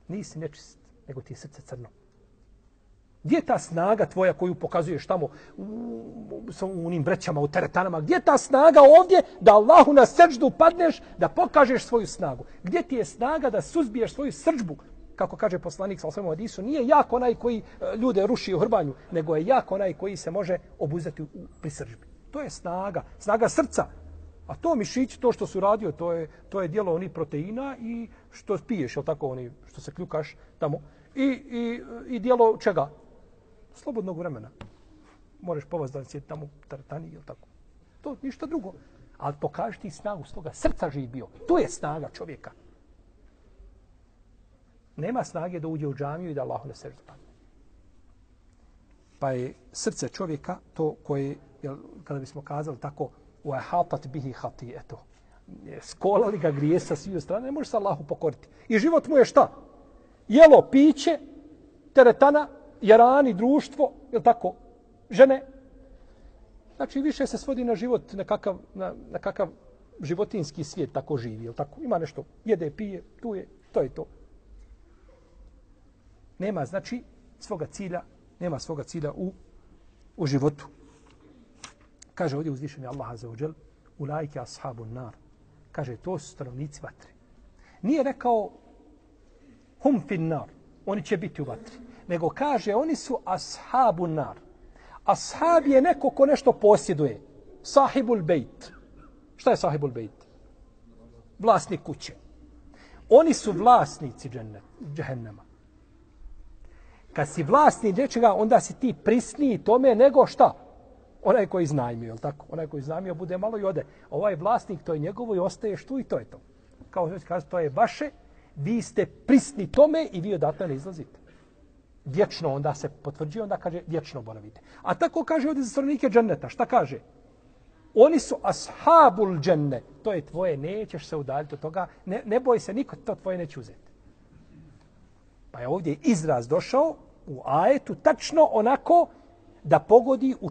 Nisi nečist, nego ti je srce crno. Gdje je ta snaga tvoja koju pokazuješ tamo u onim vrećama, u teretanama? Gdje je ta snaga ovdje da Allahu na srdždu padneš, da pokažeš svoju snagu? Gdje ti je snaga da suzbiješ svoju srdžbu? Kako kaže poslanik sallallahu alejhi ve sellem, nije jak onaj koji ljude ruši u hrbanju, nego je jak onaj koji se može obuzeti pri srdžbi. To je snaga srca. A to mišići, to što su radio, to je dijelo onih proteina i što piješ, je tako, oni što se kljukaš tamo. I dijelo čega? Slobodnog vremena. Možeš povaz da sjeti tamo u teretani, je tako. To ništa drugo. Ali pokaži ti snagu svoga srca živ bio. To je snaga čovjeka. Nema snage da uđe u džamiju i da Allahu na srđu padne. Pa je srce čovjeka to koje, kada bismo kazali tako, uahatat bihi hati'etu. Skolali ga grije sa svih strana, ne može se Allahu pokoriti. I život mu je šta? Jelo, piće, teretana, jarani, društvo, je tako, žene. Znači, više se svodi na život, nekakav životinski svijet tako živi, je tako? Ima nešto, jede, pije, tu je, to je to. Nema, znači, svoga cilja u životu. Kaže ovdje uzvišeni Allah azza wa džel, ulajke ashabun nar. Kaže, to su stanovnici vatre. Nije rekao hum fin nar, oni će biti u vatri. Nego kaže, oni su ashabun nar. Ashab je neko ko nešto posjeduje. Sahibul bejt. Šta je sahibul bejt? Vlasnik kuće. Oni su vlasnici džehennema. Kad si vlasnik nečega, onda si ti prisniji tome nego šta? Onaj koji iznajmio, je li tako? Onaj koji iznajmio bude malo i ode. Ovaj vlasnik, to je njegovo i ostaješ tu i to je to. Kao što kaže, to je vaše, vi ste prisni tome i vi odatle ne izlazite. Vječno onda se potvrđuje, onda kaže vječno boravite. A tako kaže ovdje za stanovnike dženneta. Šta kaže? Oni su ashabul dženne. To je tvoje, nećeš se udaljiti od toga. Ne boj se, niko to tvoje neće uzeti. Pa je ovdje izraz došao u ajetu tačno onako da pogodi u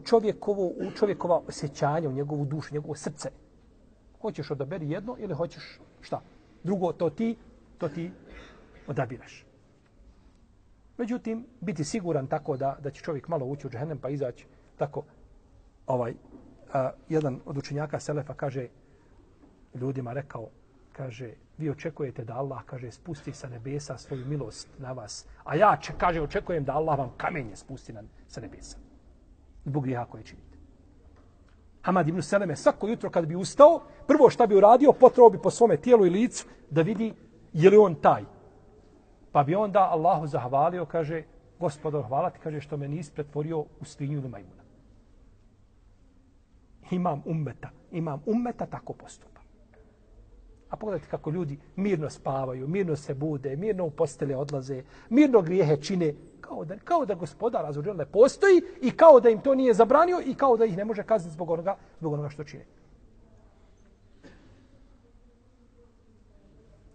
čovjekova osjećanja, u njegovu dušu, njegovo srce. Hoćeš odaberi jedno ili hoćeš šta? Drugo, to ti odabiraš. Međutim, biti siguran tako da će čovjek malo ući u džehennem pa izaći tako, jedan od učenjaka Selefa kaže ljudima, rekao, kaže, vi očekujete da Allah, kaže, spusti sa nebesa svoju milost na vas, a ja, kaže, očekujem da Allah vam kamenje spusti sa nebesa. Zbog grijeha koje činite. Hamad ibn Seleme svako jutro kad bi ustao, prvo šta bi uradio, potrao bi po svome tijelu i licu da vidi je li on taj. Pa bi onda Allahu zahvalio, kaže, Gospodar, hvala ti, kaže, što me nisi pretvorio u svinju ili majmuna. Imam ummeta tako postupa. A pogledajte kako ljudi mirno spavaju, mirno se bude, mirno u postelje odlaze, mirno grijehe čine, kao da Gospodar azza ne postoji i kao da im to nije zabranio i kao da ih ne može kazniti zbog onoga što čine.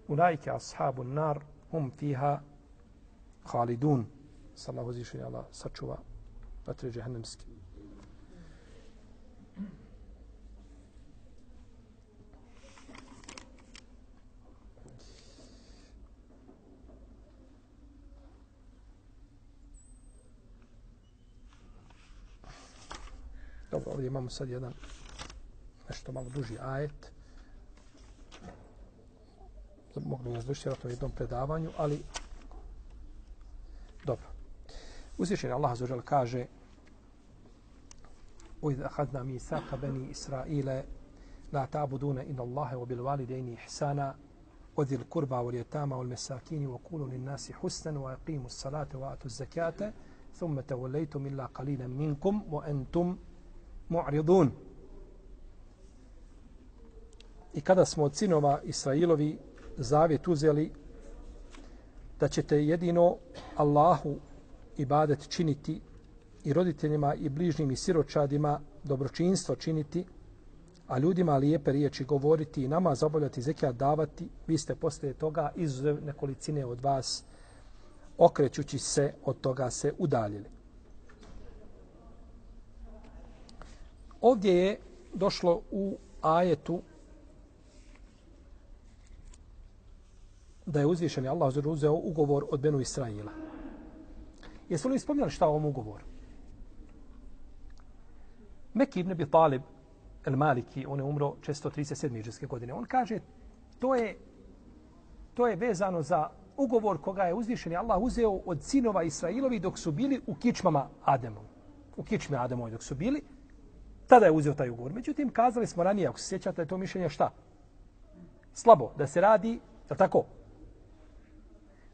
Ulaike ashabun nar hum fiha khalidun. Sallahu uzvišeni Allah sačuva vatre džehennemske. Dobro, ovdje imamo sad jedan nešto malo duži ajet. Mogli nas doći vjerojatno u jednom predavanju, ali dobro. Uzvišeni Allah azza wa dželle kaže: وَإِذْ أَخَذْنَا مِيثَاقَ بَنِي إِسْرَائِيلَ لَا تَعْبُدُونَ إِلَّا اللَّهَ وَبِالْوَالِدَيْنِ إِحْسَانًا وَذِي الْقُرْبَى وَالْيَتَامَى وَالْمَسَاكِينِ وَقُولُوا لِلنَّاسِ حُسْنًا وَأَقِيمُوا الصَّلَاةَ وَآتُوا الزَّكَاةَ ثُمَّ تَوَلَّيْتُمْ إِلَّا قَلِيلًا مِنكُمْ وَأَنْتُمْ مُعْرِضُونَ. I kada smo od sinova Israilovi zavjet uzeli da ćete jedino Allahu ibadet činiti i roditeljima i bližnjim i siročadima dobročinstvo činiti, a ljudima lijepe riječi govoriti i namaz obavljati, zekijat davati, vi ste poslije toga izuzev nekolicine od vas, okrećući se od toga se udaljili. Ovdje je došlo u ajetu da je uzvišeni Allah uzeo ugovor od Benu Israila. Jesu li spominjali šta o ovom ugovoru? Meki ibn Abi Talib el-Maliki, on je umro 437. hidžrske godine. On kaže, to je vezano za ugovor koga je uzvišeni Allah uzeo od sinova Israilovi dok su bili u kičmama Ademovi. U kičmi Ademovi dok su bili, tada je uzeo taj ugovor. Međutim, kazali smo ranije, ako se sjećate, je to mišljenje šta? Slabo, da se radi, je tako?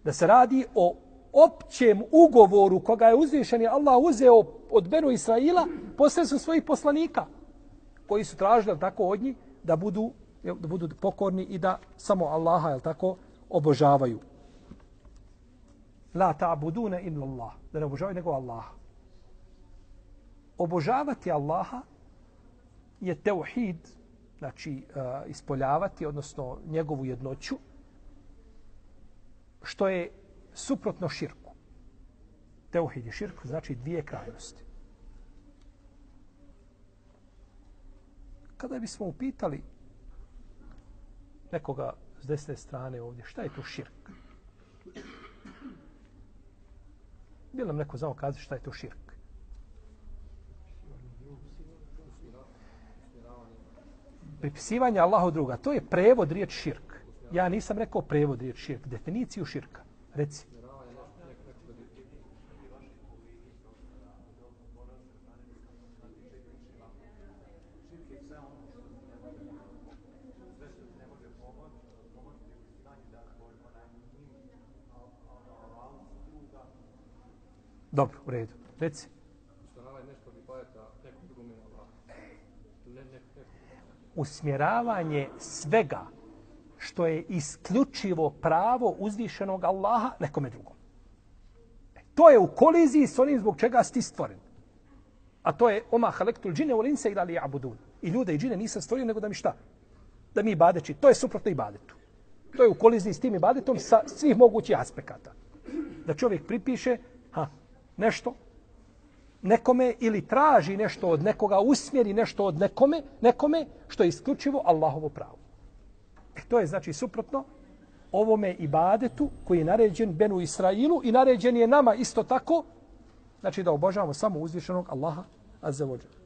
Da se radi o općem ugovoru koga je uzvišeni Allah uzeo od Benu Israila posredstvom svojih poslanika koji su tražili tako od njih da budu pokorni i da samo Allaha tako obožavaju. La ta'buduna illa Allah, da ne obožavaju nego Allaha. Obožavati Allaha je teuhid, znači ispoljavati, odnosno njegovu jednoću, što je suprotno širku. Teuhid i širk znači dvije krajnosti. Kada bismo upitali nekoga s desne strane ovdje, šta je to širk? Bi nam neko znao kazati šta je to širk? Pripisivanje Allahu druga, to je prevod riječ širk. Ja nisam rekao prevod riječ širk, definiciju širka. Reci. Dobro, u redu. Reci. Usmjeravanje svega što je isključivo pravo uzvišenog Allaha nekome drugom. To je u koliziji s onim zbog čega si ti stvoren. A to je oma halektul džine wal insa illa liya'budun. I ljude i džine nisam stvorio nego da mi šta? Da mi ibadeći. To je suprotno ibadetu. To je u koliziji s tim ibadetom sa svih mogućih aspekata. Da čovjek pripiše nešto nekome ili traži nešto od nekoga, usmjeri nešto od nekome što je isključivo Allahovo pravo. To je znači suprotno ovome ibadetu koji je naređen Benu Israilu i naređen je nama isto tako, znači da obožavamo samo uzvišenog Allaha azza wa dželle.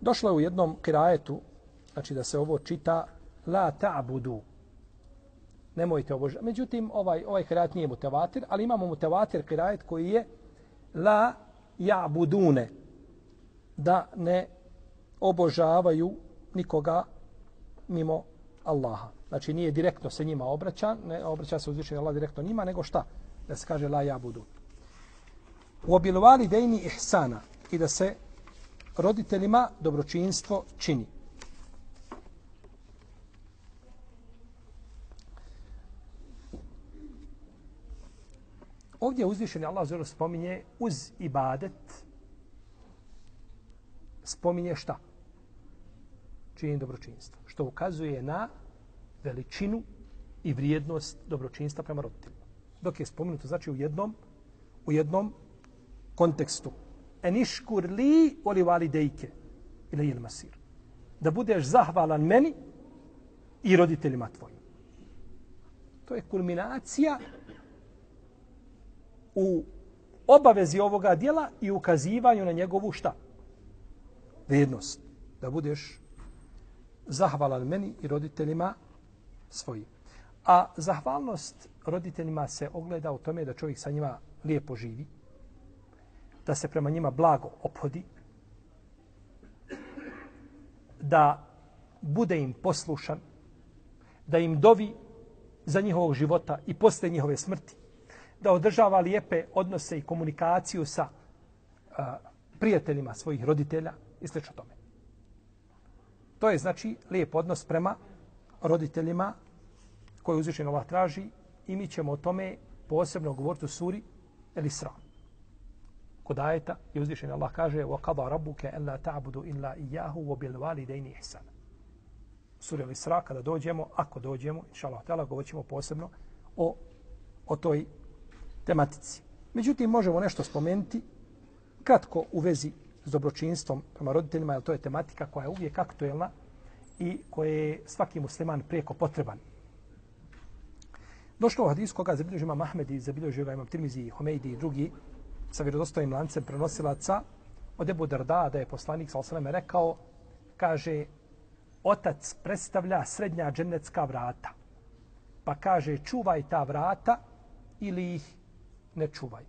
Došlo je u jednom kirajetu, znači da se ovo čita la ta'budu. Nemojte obožavati. Međutim, ovaj kirajet nije mutevatir, ali imamo mutevatir kirajet koji je la ja'budune. Da ne obožavaju nikoga mimo Allaha. Znači nije direktno se njima obraća, ne obraća se uzvišeni Allah direktno njima, nego šta? Da se kaže la ja'budun. U obilvali dejni ihsana i da se roditeljima dobročinstvo čini. Ovdje uzvišeni Allah zelo spominje uz ibadet, spominje šta? Činjenje dobročinstva. Što ukazuje na veličinu i vrijednost dobročinstva prema roditeljima. Dok je spomenuto, znači u jednom kontekstu. Eniškur li oli validejke ili il masir. Da budeš zahvalan meni i roditeljima tvojim. To je kulminacija u obavezi ovoga djela i ukazivanju na njegovu šta? Vrijednost. Da budeš zahvalan meni i roditeljima svojim. A zahvalnost roditeljima se ogleda u tome da čovjek sa njima lijepo živi, da se prema njima blago ophodi, da bude im poslušan, da im dovi za njihovog života i posle njihove smrti, da održava lijepe odnose i komunikaciju sa prijateljima svojih roditelja i sl. Tome. To je znači lijep odnos prema roditeljima koji uzvišeni Allah traži i mi ćemo o tome posebno govoriti u suri El Isra. Kod ajeta je uzvišeni Allah kaže وَقَضَى رَبُّكَ أَلَّا تَعْبُدُوا إِلَّا إِيَّاهُ وَبِالْوَالِدَيْنِ إِحْسَانًا. Sura El Isra, kada dođemo, ako dođemo, inšallah ta'ala, govorit ćemo posebno o toj tematici. Međutim, možemo nešto spomenuti kratko u vezi s dobročinstvom prema roditeljima, jer to je tematika koja je uvijek aktuelna i koje je svaki musliman prijeko potreban. Došlo u hadisu koga zabilježio imam Ahmed i zabilježio ga imam Tirmizi, Humejdi i drugi sa vjerodostojnim lancem prenosilaca od Ebu Darda, da je poslanik sallallahu alejhi ve sellem rekao, kaže, otac predstavlja srednja džennetska vrata. Pa kaže, čuvaj ta vrata ili ih ne čuvaj.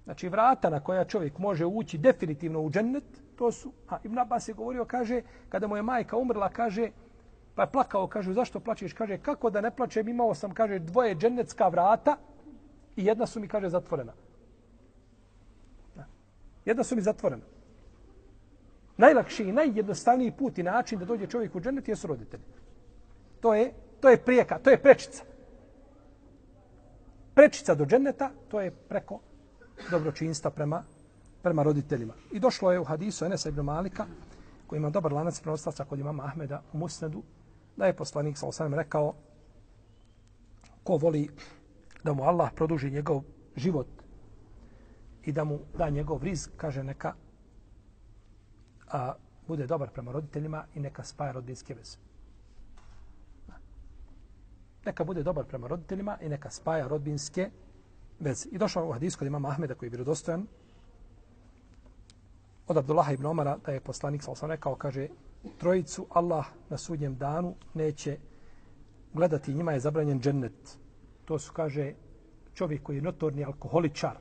Znači, vrata na koja čovjek može ući definitivno u džennet, to su, Ibn Abbas je govorio, kaže, kada mu je majka umrla, kaže, pa je plakao, kaže, zašto plačeš? Kaže, kako da ne plačem, imao sam, kaže, 2 džennetska vrata i jedna su mi, kaže, zatvorena. Jedna su mi zatvorena. Najlakši i najjednostavniji put i način da dođe čovjek u džennet jesu roditelji. To je prijeka, to je prečica. Prečica do dženneta, to je preko dobročinstva prema roditeljima. I došlo je u hadisu Enesa ibn Malika, koji ima dobar lanac prenosilaca kod imama Ahmeda u Musnedu, da je poslanik sallallahu alejhi ve sellem rekao, ko voli da mu Allah produži njegov život i da mu da njegov rizq, kaže, neka bude dobar prema roditeljima i neka spaja rodbinske veze. Neka bude dobar prema roditeljima i neka spaja rodbinske veze. I došao u hadisu kod imama Ahmeda, koji je vjerodostojan, od Abdullaha ibn Omara, da je poslanik sallallahu alejhi ve sellem rekao, kaže, trojicu Allah na sudnjem danu neće gledati, njima je zabranjen džennet. To su, kaže, čovjek koji je notorni alkoholičar.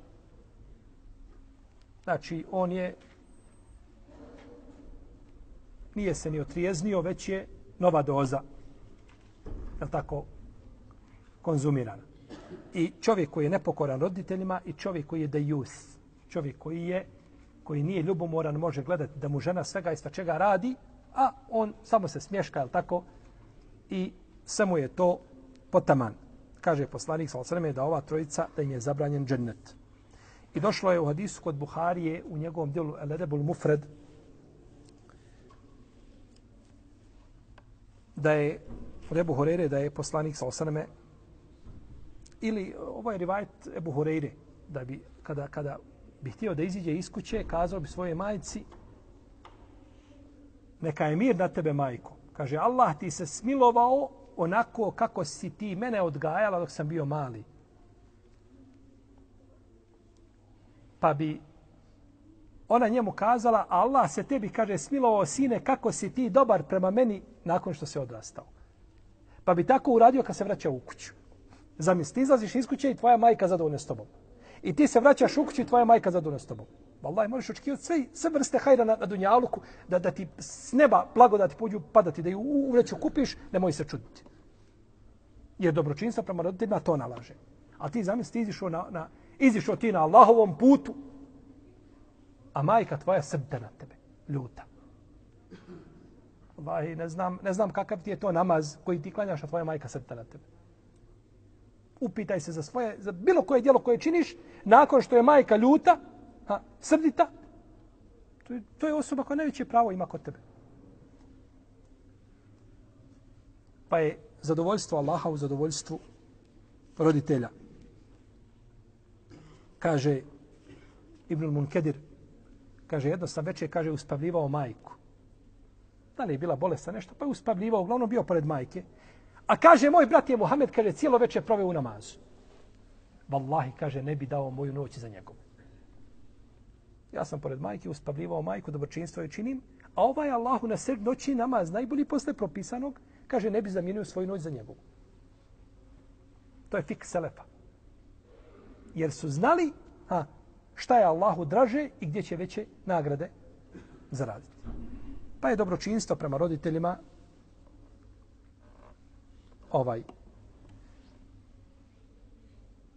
Znači, on nije se ni otrijeznio, već je nova doza, je tako, konzumirana. I čovjek koji je nepokoran roditeljima i čovjek koji je dejus, čovjek koji nije ljubomoran, može gledati da mu žena svega isto čega radi, a on samo se smješka, je tako, i samo je to potaman. Kaže poslanik sallallahu alejhi ve sellem da ova trojica, da im je zabranjen džennet. I došlo je u hadisu kod Buharije u njegovom djelu El-Edebul Mufred da je od Ebu Hureyre da je poslanik sallallahu alejhi ve sellem, ili ovo je rivajet Ebu Hureyre, da bi kada bi htio da iziđe iz kuće, kazao bi svoje majci, neka je mir na tebe, majko. Kaže, Allah ti se smilovao onako kako si ti mene odgajala dok sam bio mali. Pa bi ona njemu kazala, Allah se tebi, kaže, smilovao sine, kako si ti dobar prema meni nakon što se odrastao. Pa bi tako uradio kad se vraća u kuću. Zamisli, ti izlaziš iz kuće i tvoja majka zadovoljna s tobom. I ti se vraćaš u kuću i tvoja majka zadovoljna s tobom. Wallahi, možeš očekivati sve vrste hajra na dunjaluku, da ti s neba blagodati pođu padati, da ju u vreću kupiš, nemoj se čuditi. Jer dobročinstvo prema roditeljima to nalaže. A ti zamisli, ti izišao ti na Allahovom putu, a majka tvoja srde na tebe, ljuta. Wallahi, ne znam kakav ti je to namaz koji ti klanjaš, a tvoja majka srde na tebe. Upitaj se za bilo koje djelo koje činiš, nakon što je majka ljuta, srdita, to je osoba koja najveće pravo ima kod tebe. Pa je zadovoljstvo Allaha u zadovoljstvu roditelja. Kaže Ibnul Munkedir, kaže, jedno sam večer, kaže, uspavljivao majku. Da li je bila bolesna nešto, pa je uspavljivao, uglavnom bio pored majke. A kaže, moj brat je Muhammed, kaže, cijelo večer proveo u namazu. Wallahi, kaže, ne bi dao moju noć za njegovu. Ja sam pored majke uspavljivao majku, dobročinstvo joj činim, a ovaj Allahu na sred noći namaz, najbolji posle propisanog, kaže, ne bi zamijenio svoju noć za njegovu. To je fik selefa. Jer su znali šta je Allahu draže i gdje će veće nagrade zaraditi. Pa je dobročinstvo prema roditeljima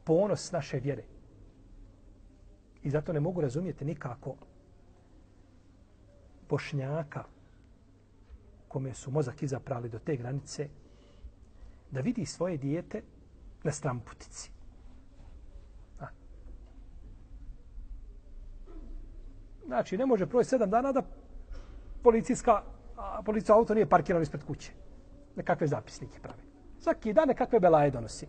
ponos naše vjere. I zato ne mogu razumjeti nikako Bošnjaka kome su mozak izaprali do te granice da vidi svoje dijete na stramputici. Znači, ne može proći 7 dana da policijsko auto nije parkirano ispred kuće. Nekakve zapisnike pravi. Svaki dan nekakve belaje donosi.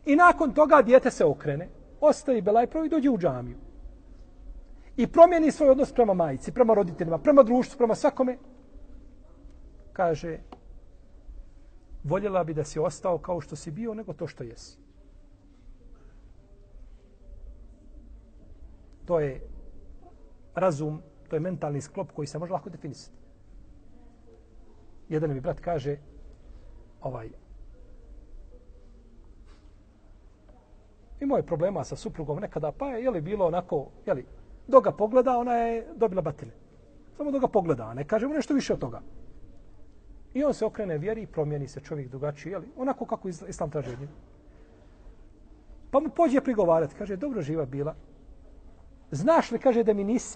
I nakon toga dijete se okrene, ostavi belaj pravi i dođe u džamiju. I promijeni svoj odnos prema majici, prema roditeljima, prema društvu, prema svakome. Kaže, voljela bi da si ostao kao što si bio, nego to što jesi. To je razum, to je mentalni sklop koji se može lako definisati. Jedan mi brat kaže, imao je problema sa suprugom nekada, pa je bilo onako, dok ga pogleda, ona je dobila batine. Samo dok ga pogleda, ne kažemo nešto više od toga. I on se okrene vjeri i promijeni se čovjek drugačiji, onako kako Islam traži od njega. Pa mu pođe prigovarati, kaže, dobro živa bila. Znaš li, kaže, da me nisi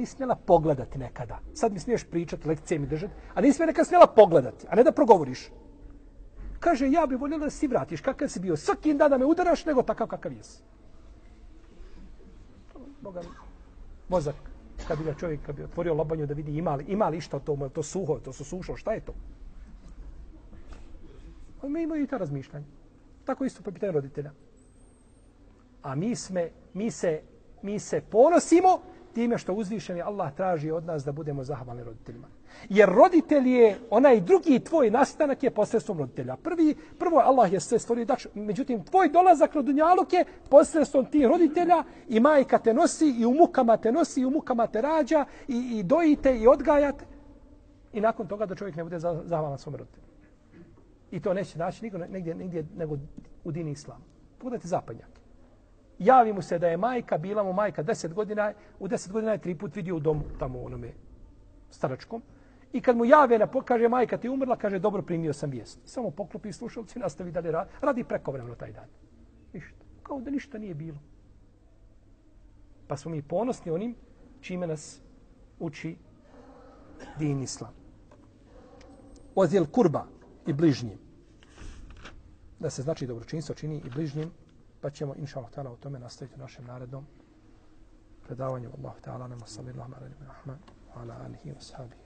smjela pogledati nekada. Sad mi smiješ pričati, lekcije mi držati, a nisi me nekada smjela pogledati, a ne da progovoriš. Kaže, ja bih voljela da si vratiš kakav si bio. Svaki dan da me udaraš, nego takav kakav jesi. Boga mi, mozak, kad bi ga čovjek, kad bi otvorio lobanju da vidi ima li išta to, to suho, to su sušo, šta je to? Mi imaju i ta razmišljanja. Tako isto po pitanju roditelja. A mi se ponosimo time što uzvišeni Allah traži od nas da budemo zahvalni roditeljima. Jer roditelj je, onaj drugi tvoj nastanak je posredstvom roditelja. Prvo Allah je sve stvorio, međutim tvoj dolazak na dunjaluk je posredstvom tih roditelja i majka te nosi i u mukama te nosi i u mukama te rađa i dojite i odgajate. I nakon toga da čovjek ne bude zahvalan svom roditelju. I to neće naći nigdje nego u dini islamu. Pogledajte zapadnjake. Javi mu se da je majka, bila mu majka 10 godina, u 10 godina je 3 put vidio u domu, tamo u onome staračkom. I kad mu jave, kaže majka ti umrla, kaže dobro primio sam vijest. Samo poklopi slušalci i nastavi dalje radi prekovremeno taj dan. Ništa. Kao da ništa nije bilo. Pa smo mi ponosni onim čime nas uči din islam. Ozil kurba i bližnjim. Da se znači dobročinstvo čini i bližnjim. Pa ćemo, inša Allah ta'ala, o tome nastaviti u našem narednom predavanju. Allahu ta'ala, nama sallallahu alaihi wa sallam, ala alihi wa sahabihi.